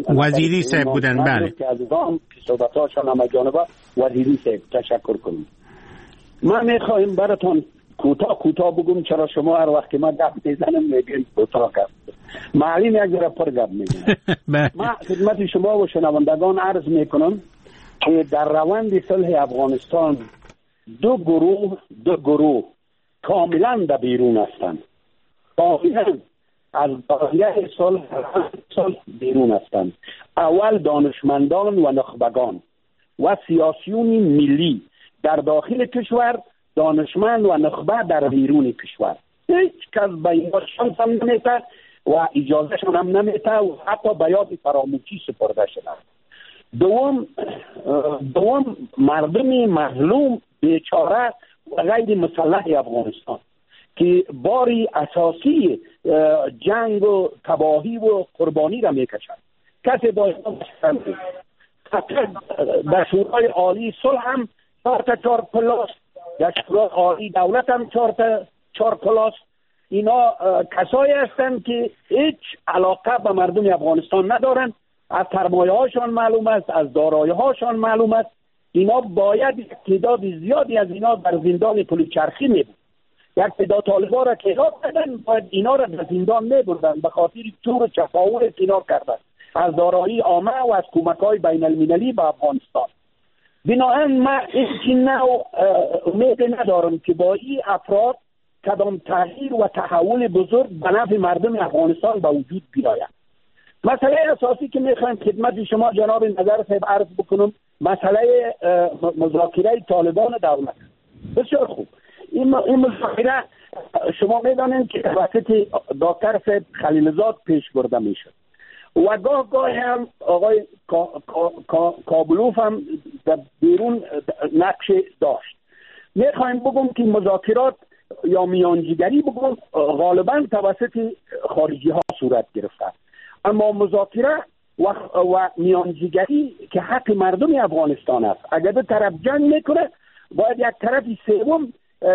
وزیری صاحب بودن. بله که از اونام صحبت‌هاشون هم جانبه وزیری صاحب تشکر کنیم. من میخوایم براتون کوتاه کوتاه بگم، چرا شما هر وقت که من گپ میزنم میگین کوتاه گپ، معلم یک ذره پر گپ میزنم. من خدمت شما و شنوندگان عرض میکنم که در روند صلح افغانستان دو گروه کاملا در بیرون هستند، کاملا از دایره صلح بیرون هستند. اول دانشمندان و نخبگان و سیاسیون ملی در داخل کشور، دانشمند و نخبه در بیرون کشور. هیچ کس به اینها شانس هم نمیده و اجازهشون هم نمیده و حتی به یاد فراموشی سپرده شده. دوم مردم مظلوم بیچاره و غیر مسلح افغانستان که باری اساسی جنگ و تباهی و قربانی را میکشند. کسی باید در شورای عالی صلح هم 4 پلاس، در شورای عالی دولت هم 4 پلاس. اینا کسایی هستند که هیچ علاقه به مردم افغانستان ندارند. از سرمایه هاشان معلوم است، از دارایی هاشان معلوم است. اینا باید تعداد زیادی از اینا در زندان پلوچرخی می بود. یک تعداد طالبا را که اعدام کردن، باید اینا را در زندان می بردن به خاطر چور و چپاول اینا کردن از دارایی عامه و از کمک های بین المللی به افغانستان. بنابراین من هیچ نوع امید ندارم که با این افراد کدام تغییر و تحول بزرگ به نفع مردم افغانستان به وجود بیاید. مسئله اساسی که میخوایم خدمت شما جناب نظر صاحب عرض بکنم، مسئله مذاکره طالبان دولت. بسیار خوب، این مذاکره شما میدانید که توسط دکتر صاحب خلیلزاد پیش برده میشد و گاه گاه هم آقای کابلوف هم در بیرون نقش داشت. میخوایم بگم که مذاکرات یا میانجیگری بگم غالبا توسط خارجی ها صورت گرفته، اما مذاکره و میانجیگری که حق مردم افغانستان است، اگر دو طرف جنگ میکنه باید یک طرف سوم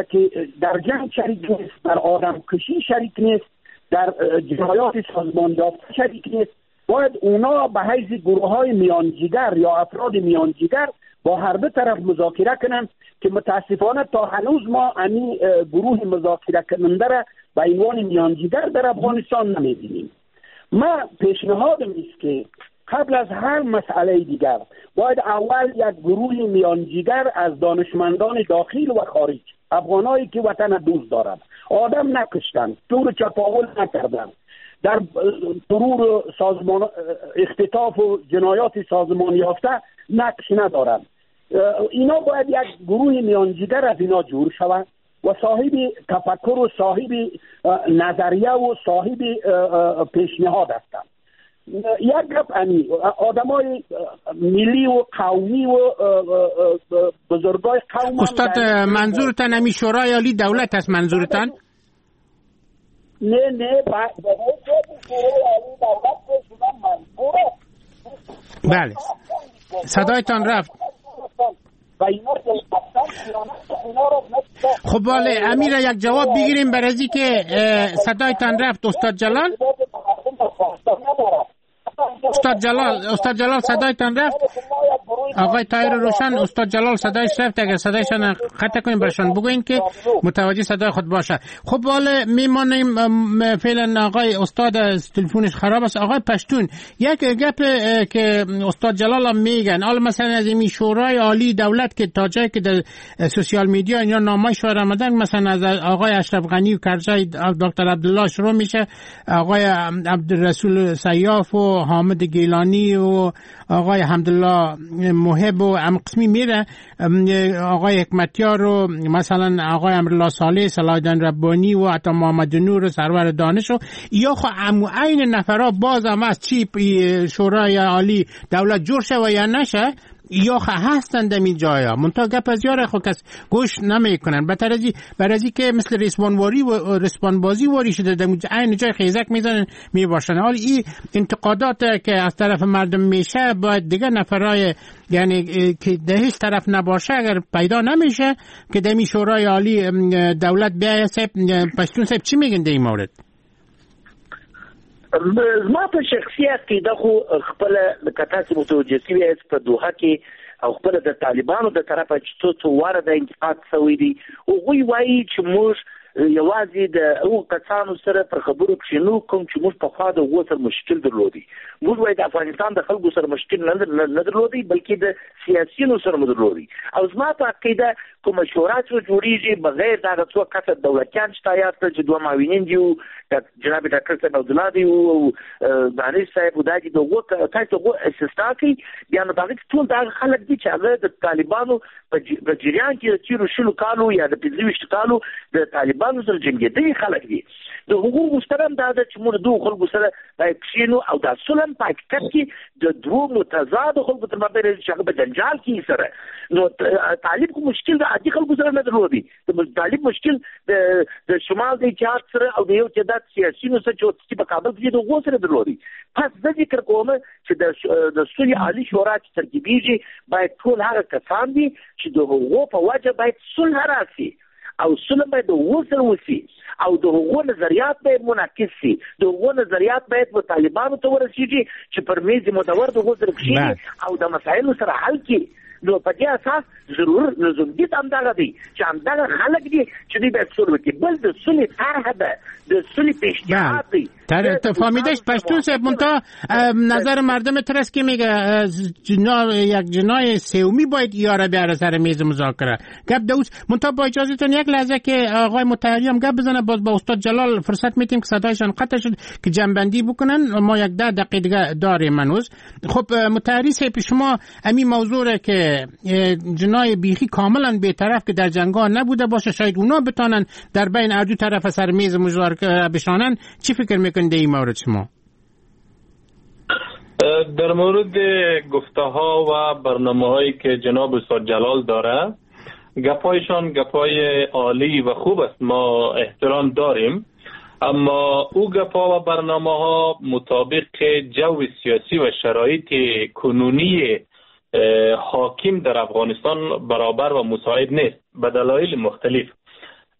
که در جنگ شریک نیست، در آدم کشی شریک نیست، در جنایات سازمان یافته شریک نیست، باید اونا به حیث گروه های میانجیگر یا افراد میانجیگر با هر دو طرف مذاکره کنند که متاسفانه تا هنوز ما امی گروه مذاکره کننده را به عنوان میانجیگر در افغانستان نمیبینیم. ما پیشنهادم است که قبل از هر مسئله دیگر باید اول یک گروه میانجیگر از دانشمندان داخل و خارج، افغانایی که وطن دوست دارند، آدم نکشتند، تور چپاول نکردند، در ترور سازمان اختطاف و جنایات سازمان یافته نقش ندارند، اینا باید یک گروه میانجیگر از اینا جور شود و صاحب تفکر و صاحب نظریه و صاحب پیشنهاد هستند. یک گپ امی آدمای ملی و قومی و بزرگای قوم. استاد منظورتان امی شورای عالی دولت است منظورتان؟ نه نه، شورای عالی دولت منظور. بله صدایتان رفت. خب بله امیر یک جواب بگیریم برای که صدایتان رفت. استاد جلال، استاد جلال صدایتان رفت. آقای طاهر روشن، استاد جلال صدایش رفت، اگر صدایشان قطع کنیم برشان بگوین که متوجه صدای خود باشه. خب حالا میمانیم فعلا آقای استاد تلفنش خراب است. آقای پشتون، یک گپ که استاد جلال هم میگن، حالا مثلا از این شورای عالی دولت که تا جایی که در social media اینا نامای آمدن، مثلا از آقای اشرف غنی و کرزی دکتر عبدالله شروع میشه، آقای عبدالرسول سیاف و حامد گیلانی و آقای حمدالله محب و ام قسمی میره، آقای حکمتیار و مثلا آقای امرالله صالح، صلاح الدین ربانی و حتی محمد نور و سرور دانش و یا خو عین نفرا باز هم از چی شورای عالی دولت جور شه و یا نشه یا هستند در این جایا، منتها گپ از یاره خو کس گوش نمیکنن. برازی که مثل رسوانواری و رسوانبازی واری شده در عین جای خیزک میزنن میباشن. حال این انتقادات که از طرف مردم میشه باید دیگه نفرای یعنی که ده هیچ طرف نباشه اگر پیدا نمیشه که در شورای عالی دولت بیایه. پشتون صاحب چی میگن در این مورد؟ زما په شخصي عقیده خو خپله لکه تاسې متوجه سوي یاست په دوحه کې او خپله د طالبانو د طرفه چې څو څو واره دا انتقاد سوی دی، هغوی وایي چې موږ یوازې د هغو کسانو سره پر خبرو کښېنو کوم چې موږ پخوا د هغو سره مشکل درلودی. موږ وایي د افغانستان د خلکو سره مشکل نه درلودی، بلکې د سیاسیونو سره مو درلودی. او زما په عقیده کومه شورا چې جوړېږي بغیر د هغه څو کسه دولتیان چې تا یاد کړل چې دوه معاونین دي، جناب ډاکټر صاحب عبدالله دی او دانش صاحب او دا دي، د هغو تاسو هغو استثنا کوي، بیا نو په هغه کې ټول د هغه خلک دي چې هغه د طالبانو په جریان کې د تېرو 20 کالو یا د 25 کالو د طالبانو سره جنګېدلي خلک دي. د هغو غوښتنه هم دا ده چې موږ دوو خلکو سره باید کښېنو او دا صلح هم په حقیقت کې د دوو متضادو خلکو تر مابین چې هغه په جنجال کې سره. نو طالب خو مشکل د عادي خلکو سره نه درلودی، طالب مشکل د شمال د اتحاد سره او د یو تعداد سیاسیونو سره چې په کابل کې د هغو سره درلودی. پس زه ذکر کوم چې د سولې عالي شورا چې ترکیبېږي باید ټول هغه کسان دي چې د هغو په وجه باید صلح راسي او صلح باید د هغو سره وسي او د هغو نظریات باید منعکس سي، د هغو نظریات باید و طالبانو ته ورسیږي چې پر میز مدور د هغو سره کښېني او د مسایلو سره حل کړي. نو په دې اساس ضرور لزومیت همدغه دی چې همدغه خلک دي چې دوی باید سوله وکړي. بل د سولې طرحه ده، د سولې پیشنهاد دی. فهمیدش پشتون صاحب، منتها نظر مردم ترس که میگه یک جنای سومی باید یاره بیاره سر میز مذاکره گپ دوست. منتها با اجازهتون یک لحظه که آقای مطهری هم گپ بزنه، باز با استاد جلال فرصت میتیم که صدایشان قطع شد که جنبندی بکنن. ما یک 10 دقیقه دیگه داریم هنوز. خب مطهری صاحب، شما همین موضوع که جنای بیخی کاملا بی‌طرف که در جنگ‌ها نبوده باشه، شاید اونا بتانن در بین هر دو طرف سر میز مذاکره بشانن، چی فکر میکنید این مورد شما؟ در مورد گفته ها و برنامه هایی که جناب استاد جلال داره، گپایشان گپای عالی و خوب است، ما احترام داریم، اما او گپا و برنامه ها مطابق جو سیاسی و شرایط کنونی حاکم در افغانستان برابر و مساعد نیست به دلایل مختلف.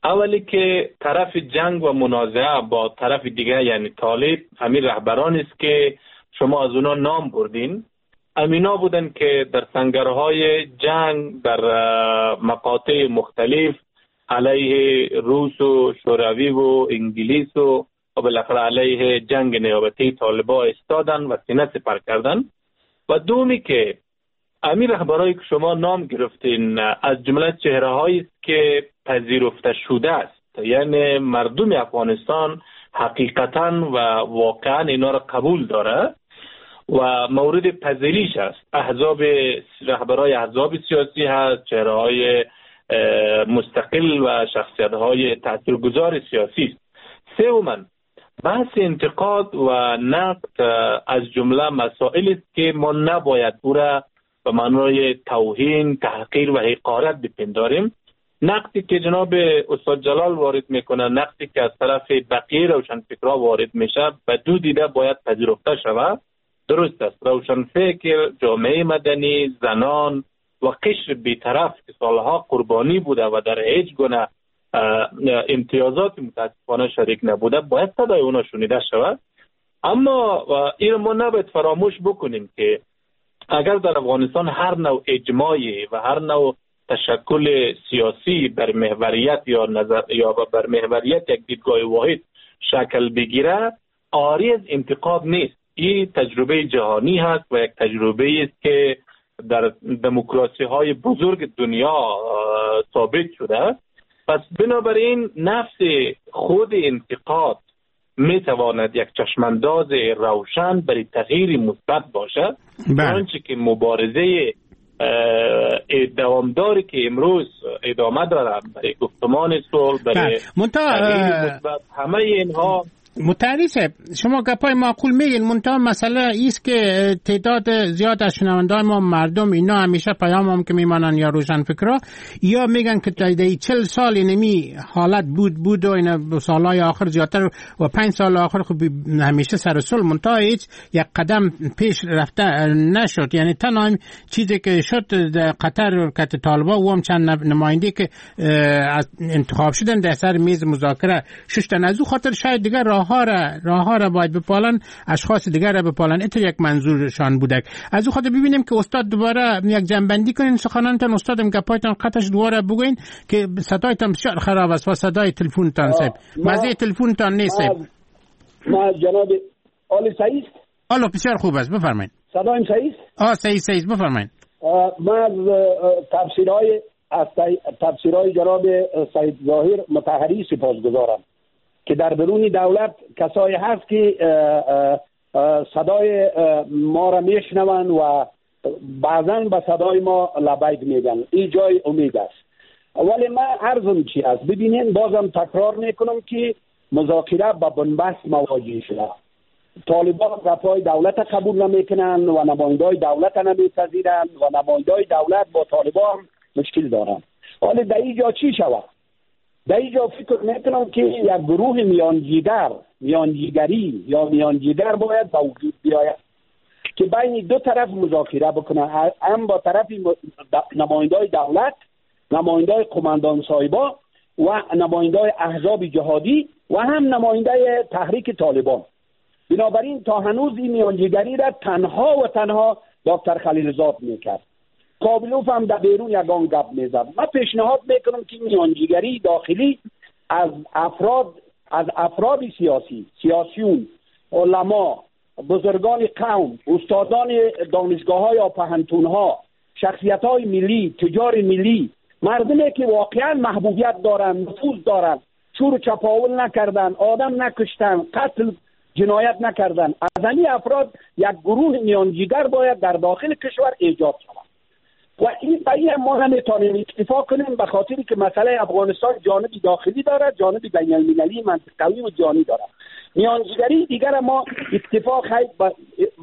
اولی که طرف جنگ و منازعه با طرف دیگه یعنی طالب امیر رهبران است که شما از اونا نام بردین، امینا بودن که در سنگرهای جنگ در مقاطع مختلف علیه روس و شوروی و انگلیس و بالاخره علیه جنگ نیابتی طالبا استادن و سینه سپر کردن. و دومی که امیر رهبرایی که شما نام گرفتین از جمله چهره‌هایی است که پذیرفته شده است، یعنی مردم افغانستان حقیقتا و واقعا اینا را قبول داره و مورد پذیرش است. احزاب، رهبرای احزاب سیاسی هست، چهره‌های مستقل و شخصیت‌های تاثیرگذار سیاسی است. سوماً بحث انتقاد و نقد از جمله مسائلی است که ما نباید او را به معنای توهین، تحقیر و حقارت بپنداریم. نقدی که جناب استاد جلال وارد میکنه، نقدی که از طرف بقیه روشنفکرها وارد میشه، به دو دیده باید پذیرفته شود. درست است، روشنفکر، جامعه مدنی، زنان و قشر بیطرف که سالها قربانی بوده و در هیچ گونه امتیازات متاسفانه شریک نبوده، باید صدای اونا شنیده شود. اما این ما نباید فراموش بکنیم که اگر در افغانستان هر نوع اجماعی و هر نوع تشکل سیاسی بر محوریت یا نظر یا بر محوریت یک دیدگاه واحد شکل بگیره، عاری از انتقاد نیست. این تجربه جهانی هست و یک تجربه است که در دموکراسی های بزرگ دنیا ثابت شده. پس بنابراین نفس خود انتقاد می تواند یک چشمانداز روشن برای تغییر مثبت باشد. آنچه که مبارزه دوامداری که امروز ادامه دارد برای گفتمان صلح، برای تغییر مثبت، همه اینها. مطهری صاحب، شما گپای معقول میگین، منتها مسئله ایست که تعداد زیاد از شنونده‌های ما مردم اینا همیشه پیام هم که میمانن یا روشن فکرها یا میگن که تا 40 سال اینمی حالت بود و اینا سالهای آخر زیادتر و 5 سال آخر خب همیشه سر صلح، منتها هیچ یک قدم پیش رفته نشد. یعنی تنها چیزی که شد در قطر که طالبا و هم چند نماینده که انتخاب شدن در سر میز مذاکره ششتن، از او خاطر شاید دیگر راه را باید بپالن، اشخاص دیگر را بپالن، این یک منظورشان بوده. از او خاطر ببینیم که استاد دوباره یک جنبندی کنین سخنانتان. استادم گپایتان قطعش دوباره بگوین که صدایتان بسیار خراب است و صدای تلفنتان صاحب مزه تلفنتان نیست. ما جناب آل سعید الو بسیار خوب است، بفرمایید. صدایم صحیح است؟ صحیح است، بفرمایید. ما از تفسیرهای جناب سید ظاهر مطهری سپاسگزارم که در درون دولت کسایی هست که صدای ما را میشنوند و بعضا به صدای ما لبیک میگن. این جای امید است. ولی من عرضم چی است؟ ببینین، بازم تکرار میکنم که مذاکره با بنبست مواجه شده. طالبان گپای دولت قبول نمیکنن و نمایندای دولت نمیپذیرن و نمایندای دولت با طالبان مشکل دارن. حالا در اینجا چی شود؟ در اینجا فکر میکنم که یک گروه میانجیگری یا میانجیگر باید به وجود بیاید که بین دو طرف مذاکره بکنه، هم با طرف نمایندای دولت، نمایندای قماندان صاحبا و نمایندای احزاب جهادی و هم نماینده تحریک طالبان. بنابراین تا هنوز این میانجیگری را تنها و تنها دکتر خلیلزاد میکرد. کابلوف هم در بیرون یگان گپ میزد. من پیشنهاد میکنم که میانجیگری داخلی از افراد سیاسی، سیاسیون، علما، بزرگان قوم، استادان دانشگاه ها یا پهنتون ها، شخصیت های ملی، تجار ملی، مردمی که واقعا محبوبیت دارن، نفوذ دارن، چور و چپاول نکردن، آدم نکشتن، قتل جنایت نکردن، از این افراد یک گروه میانجیگر باید در داخل کشور ایجاد شود. و این برای ما نمیتونیم اکتفا کنیم، به خاطری که مسئله افغانستان جانب داخلی دارد، جانب بین المللی، منطقوی و جهانی دارد. میانجیگری دیگر ما اکتفا خیلی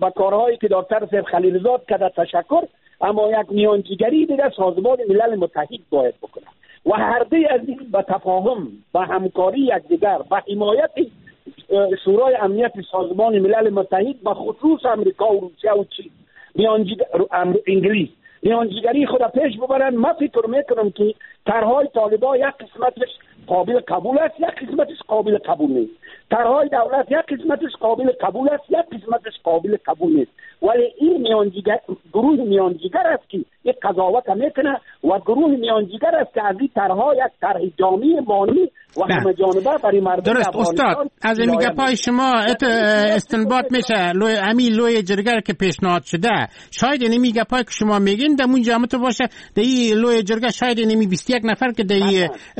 با کارهایی که دکتر سید خلیلزاد کرده تشکر، اما یک میانجیگری دیگر سازمان ملل متحد باید بکنه و هر دوی از این به تفاهم، به همکاری یکدیگر، به حمایت شورای امنیت سازمان ملل متحد، به خصوص امریکا و روسیه و چین، انگلیس، میانجیگری خود پیش ببرن. ما فکر میکنم که طرح‌های طالبان یک قسمتش قابل قبول است، یک قسمتش قابل قبول نیست. طرح‌های دولت یک قسمتش قابل قبول است، یک قسمتش قابل قبول نیست. ولی این میانجیگر، گروه میانجیگر است که یک قضاوت میکنه و گروه میانجیگر است که از این طرح‌ها یک طرح جامع مانی و همه جانبه برای مردم. درست استاد، از این گپای شما استنباط میشه امی لوی جرگه که پیشنهاد شده، شاید اینمی گپای که شما میگین در اون جامعه باشه، در این لوی جرگه شاید اینمی 21 نفر که در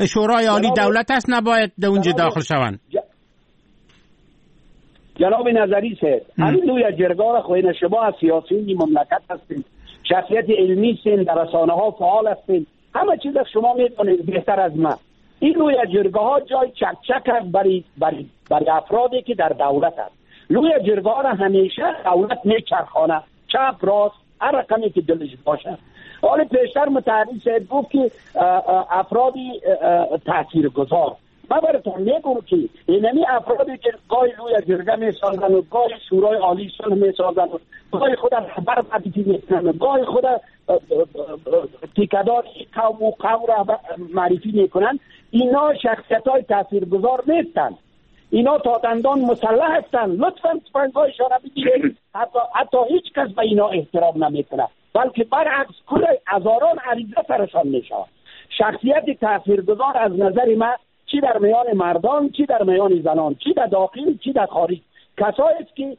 شورای عالی دولت است نباید در اونجا داخل شوند. جناب نظری صاحب، همین لوی جرگه را خو شما از سیاسیون مملکت هستین، شخصیت علمی هستین، در رسانه ها فعال هستین، همه چیز شما میدونید بهتر از من. این لوی جرگه ها جای چک چک است برای افرادی که در دولت است. لوی جرگه ها را همیشه دولت میچرخانه، چپ راست هر رقمی که دلش باشه. حالا پیشتر متحری صاحب گفت که افرادی تاثیرگذار، من براتون میگم که اینمی افرادی که گاهی لوی جرگه میسازن و گاهی شورای عالی صلح میسازن و گاهی خود رهبر معرفی میکنن و گاهی خود تیکه‌دار قوم و قوم را معرفی میکنن، اینا شخصیت های تاثیرگذار نیستن. اینا تا دندان مسلح هستن. لطفاً تفنگایشان را بگیرید. حتی هیچ کس به اینا احترام نمیکنه، بلکه برعکس کل هزاران عریضه سرشان میشود. شخصیت تاثیرگذار از نظر من چی در میان مردان، چی در میان زنان، چی در داخل، چی در خارج، کسایی است که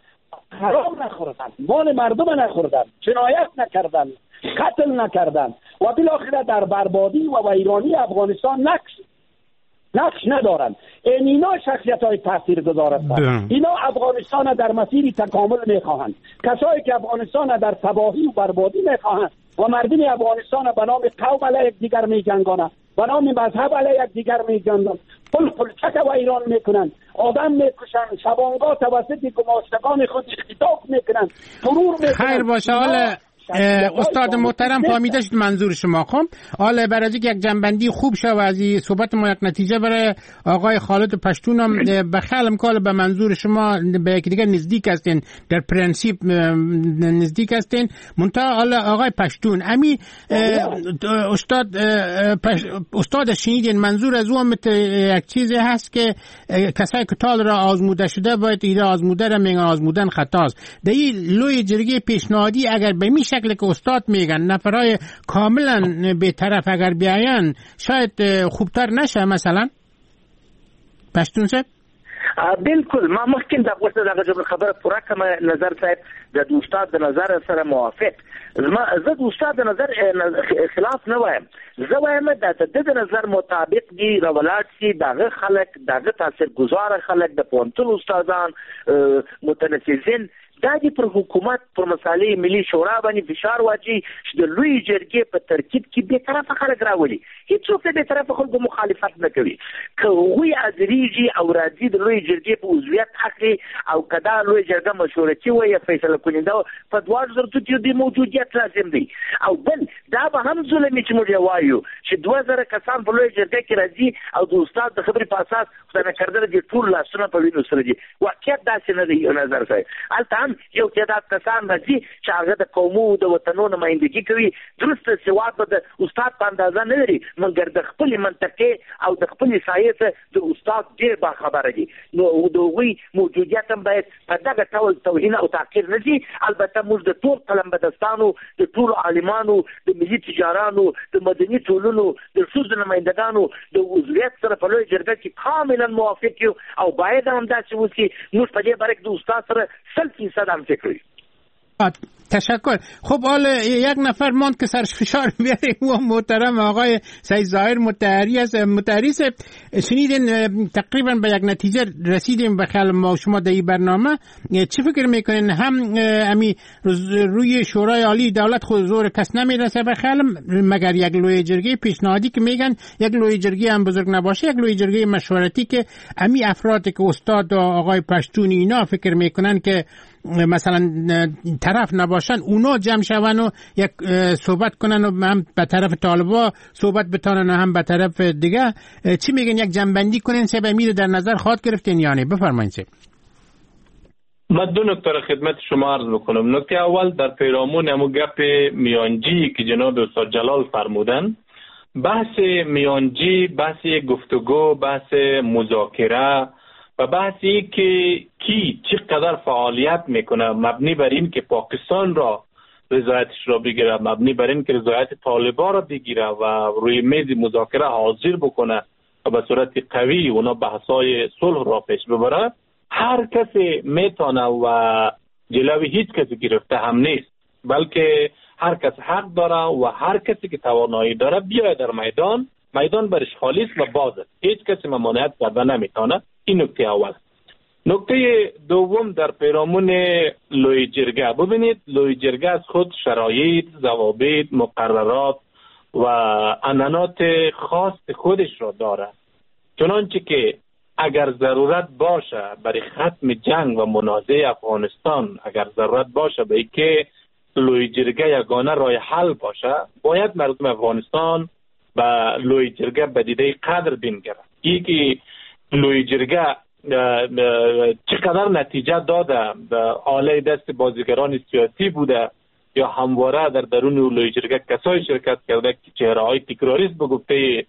حرام نخوردن، مال مردم نخوردن، جنایت نکردن، قتل نکردن و بالاخره در بربادی و ویرانی افغانستان نقش ندارند. اینا شخصیت های تاثیرگذار هستند. اینا افغانستان در مسیر تکامل میخواهند. کسایی که افغانستان در تباهی و بربادی میخواهند و مردم افغانستان به نام قوم علیه یکدیگر میجنگانند، به نام مذهب علیه یکدیگر میجنگانند، پل پلچک و ایران میکنند، آدم میکشند، شبانگاه توسط گماشتگان خود اختطاف میکنند، ترور میکنند. خیر باشه. حالا استاد محترم فهمیده شد منظور شما. خب حالا برای اینکه یک جنبندی خوب شه و از این صحبت ما یک نتیجه برای آقای خالد پشتون هم به خیالم کال به منظور شما به یک دیگه نزدیک هستین، در پرنسیپ نزدیک هستین. منتها حالا آقای پشتون امی استاد شنیدین منظور از او هم یک چیزی هست که کسایی که تال را آزموده شده باید ایده آزموده را میگن آزمودن خطاست. در این لوی جرگه پیشنهادی اگر به می شکل که استاد میگن نفرای کاملا بی‌طرف اگر بیاین شاید خوبتر نشه مثلا پشتون صاحب؟ بالکل ما مخکې د غوښته دغه خبره پوره کوم. نظر صاحب د استاد د نظر سره موافق، زه د استاد د نظر خلاف نه وایم، زه وایم د د نظر مطابق دی راولاړ شي دغه خلک، دغه تاثیرګذار خلک، د پوهنتون استادان، متنفذین، دا دې پر حکومت پر مسالې ملي شورا باندې فشار واچي چې د لوی جرګې په ترکیب کې بېطرفه خلک راولي. هیڅوک د بېطرفه خلکو مخالفت نه کوي. که هغوی حاضرېږي او راځي د لوی جرګې په عضویت اخلي او که دا لوی جرګه مشورتي وي یا فیصله کننده په دواړو صورتو کې د موجودیت لازم دی. او بل دا به هم ظلم وي چې موږ یې وایو چې 2000 کسان په لوی جرګه کې راځي او د استاد د خبرې په اساس خدای نکرده دې ټول لاسونه په وینو سره دي. واقعیت داسې نه دی نظر صاحب. هلته هم یو تعداد کسان راځي چې هغه د قومو د وطنو نمایندګي کوي، درست سواد به د استاد په اندازه نه لري، مګر د خپلې منطقې او د خپلې ساحې څخه د استاد ډېر باخبره دي. نو د هغوی موجودیت هم باید په دغه ډول توهین او تحقیر نه شي. البته موږ د ټول قلمبدستانو، د ټولو عالمانو، د ملي تجارانو، د مدني ټولنو، د ښځو نمایندګانو د عضویت سره په لویه جرګه کې کاملا موافق یو او باید هم داسې وشي. موږ په دې باره کې د استاد سره 100% هم فکر یو. تشکر. خب حالا یک نفر ماند که سرش فشار بیاریم و محترم آقای سید ظاهر مطهری است. مطهری صاحب شنیدین تقریبا به یک نتیجه رسیدیم به خیال ما شما در این برنامه. چه فکر میکنین؟ هم امی روی شورای عالی دولت خود زور کس نمیرسه به خیال، مگر یک لوی جرگه پیشنهادی که میگن یک لوی جرگه هم بزرگ نباشه، یک لوی جرگه مشورتی که امی افراد که استاد و آقای پشتون اینا فکر میکنن که مثلا طرف نباشن اونا جمع شون و یک صحبت کنن و هم به طرف طالبا صحبت بتانن و هم به طرف دیگه. چی میگن؟ یک جمع‌بندی کنین سه امیر در نظر خواهد گرفتین یعنی بفرمایید. سه من دو نکته را خدمت شما عرض بکنم. نکته اول در پیرامون همون گپ میانجی که جناب استاد جلال فرمودن، بحث میانجی، بحث گفتگو، بحث مذاکره و بحثی که کی چقدر فعالیت میکنه مبنی بر این که پاکستان را رضایتش را بگیره، مبنی بر این که رضایت طالبان را بگیره و روی میز مذاکره حاضر بکنه و به صورت قوی اونا بحث‌های صلح را پیش ببره، هر کسی میتونه و جلوی هیچ کسی گرفته هم نیست، بلکه هر کس حق داره و هر کسی که توانایی داره بیاید در میدان، میدان برش خالی است و باز است، هیچ کسی ممانعت کرده نمیتونه. این نکته اول. نکته دوم در پیرامون لوی جرگه، ببینید لوی جرگه از خود شرایط، ضوابط، مقررات و عنعنات خاص خودش را داره. چنانچه که اگر ضرورت باشه برای ختم جنگ و منازعه افغانستان، اگر ضرورت باشه به اینکه لوی جرگه یگانه راه حل باشه، باید مردم افغانستان به لوی جرگه به دیده قدر بنگرند. ای که لوی جرگه چقدر نتیجه داده، آله دست بازیگران سیاسی بوده یا همواره در درون لوی جرگه کسایی شرکت کرده که چهره‌های تکراری است به گفته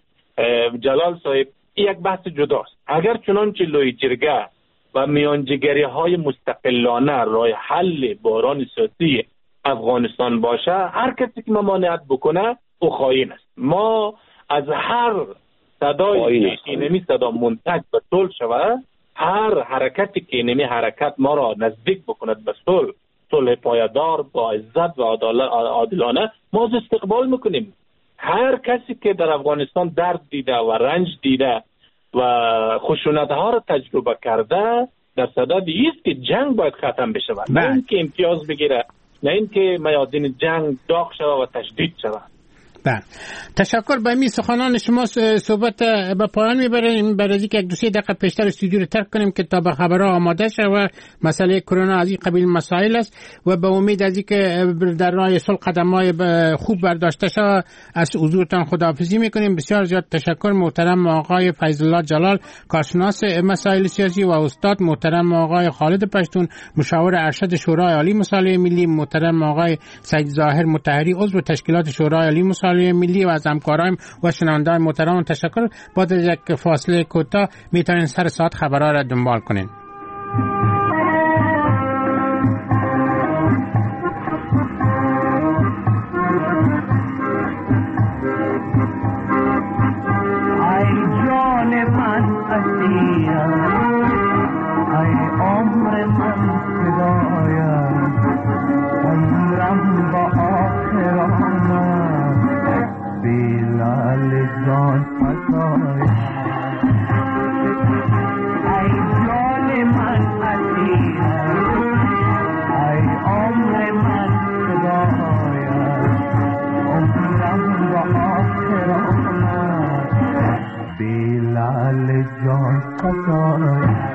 جلال صاحب، یک بحث جداست. اگر چنانچه لوی جرگه و میانجیگری های مستقلانه راه حل بحران سیاسی افغانستان باشه، هر کسی که ممانعت بکنه او خائن است. ما از هر صدایی که اینمی صدا منتج به صلح شود، هر حرکتی که اینمی حرکت ما را نزدیک بکند به صلح، صلح پایدار با عزت و عادلانه، ما از استقبال میکنیم. هر کسی که در افغانستان درد دیده و رنج دیده و خشونت ها را تجربه کرده، در صدد است که جنگ باید ختم بشود، نه اینکه امتیاز بگیره، نه اینکه میادین جنگ داغ شود و تشدید شود. بله، تشکر. به می سخنان شما صحبت به پایان میبریم. برای اینکه یک دو سه دقیقه پیشتر استودیو رو ترک کنیم که تا به خبرها آماده شود و مسئله کرونا از این قبیل مسائل است و به امید از اینکه در راه صلح قدم‌های خوب برداشته شود، از حضورتان خداحافظی میکنیم. بسیار زیاد تشکر محترم آقای فیض الله جلال، کارشناس مسائل سیاسی، و استاد محترم آقای خالد پشتون، مشاور ارشد شورای عالی مصالحه ملی، محترم آقای سید ظاهر مطهری، عضو تشکیلات شورای عالی مصالحه ملی، و از همکارایم و شنوندگان محترم تشکر. بعد از یک فاصله کوتاه میتونین سر ساعت خبرها را دنبال کنین. ای جان من اسیرم، ای عمر من فدایم، عمرم با آخر آمد، بلال جان فدایم. ای جان من اسیرم، ای عمر من فدایم، عمرم با آخر آمد، بلال جان فدایم.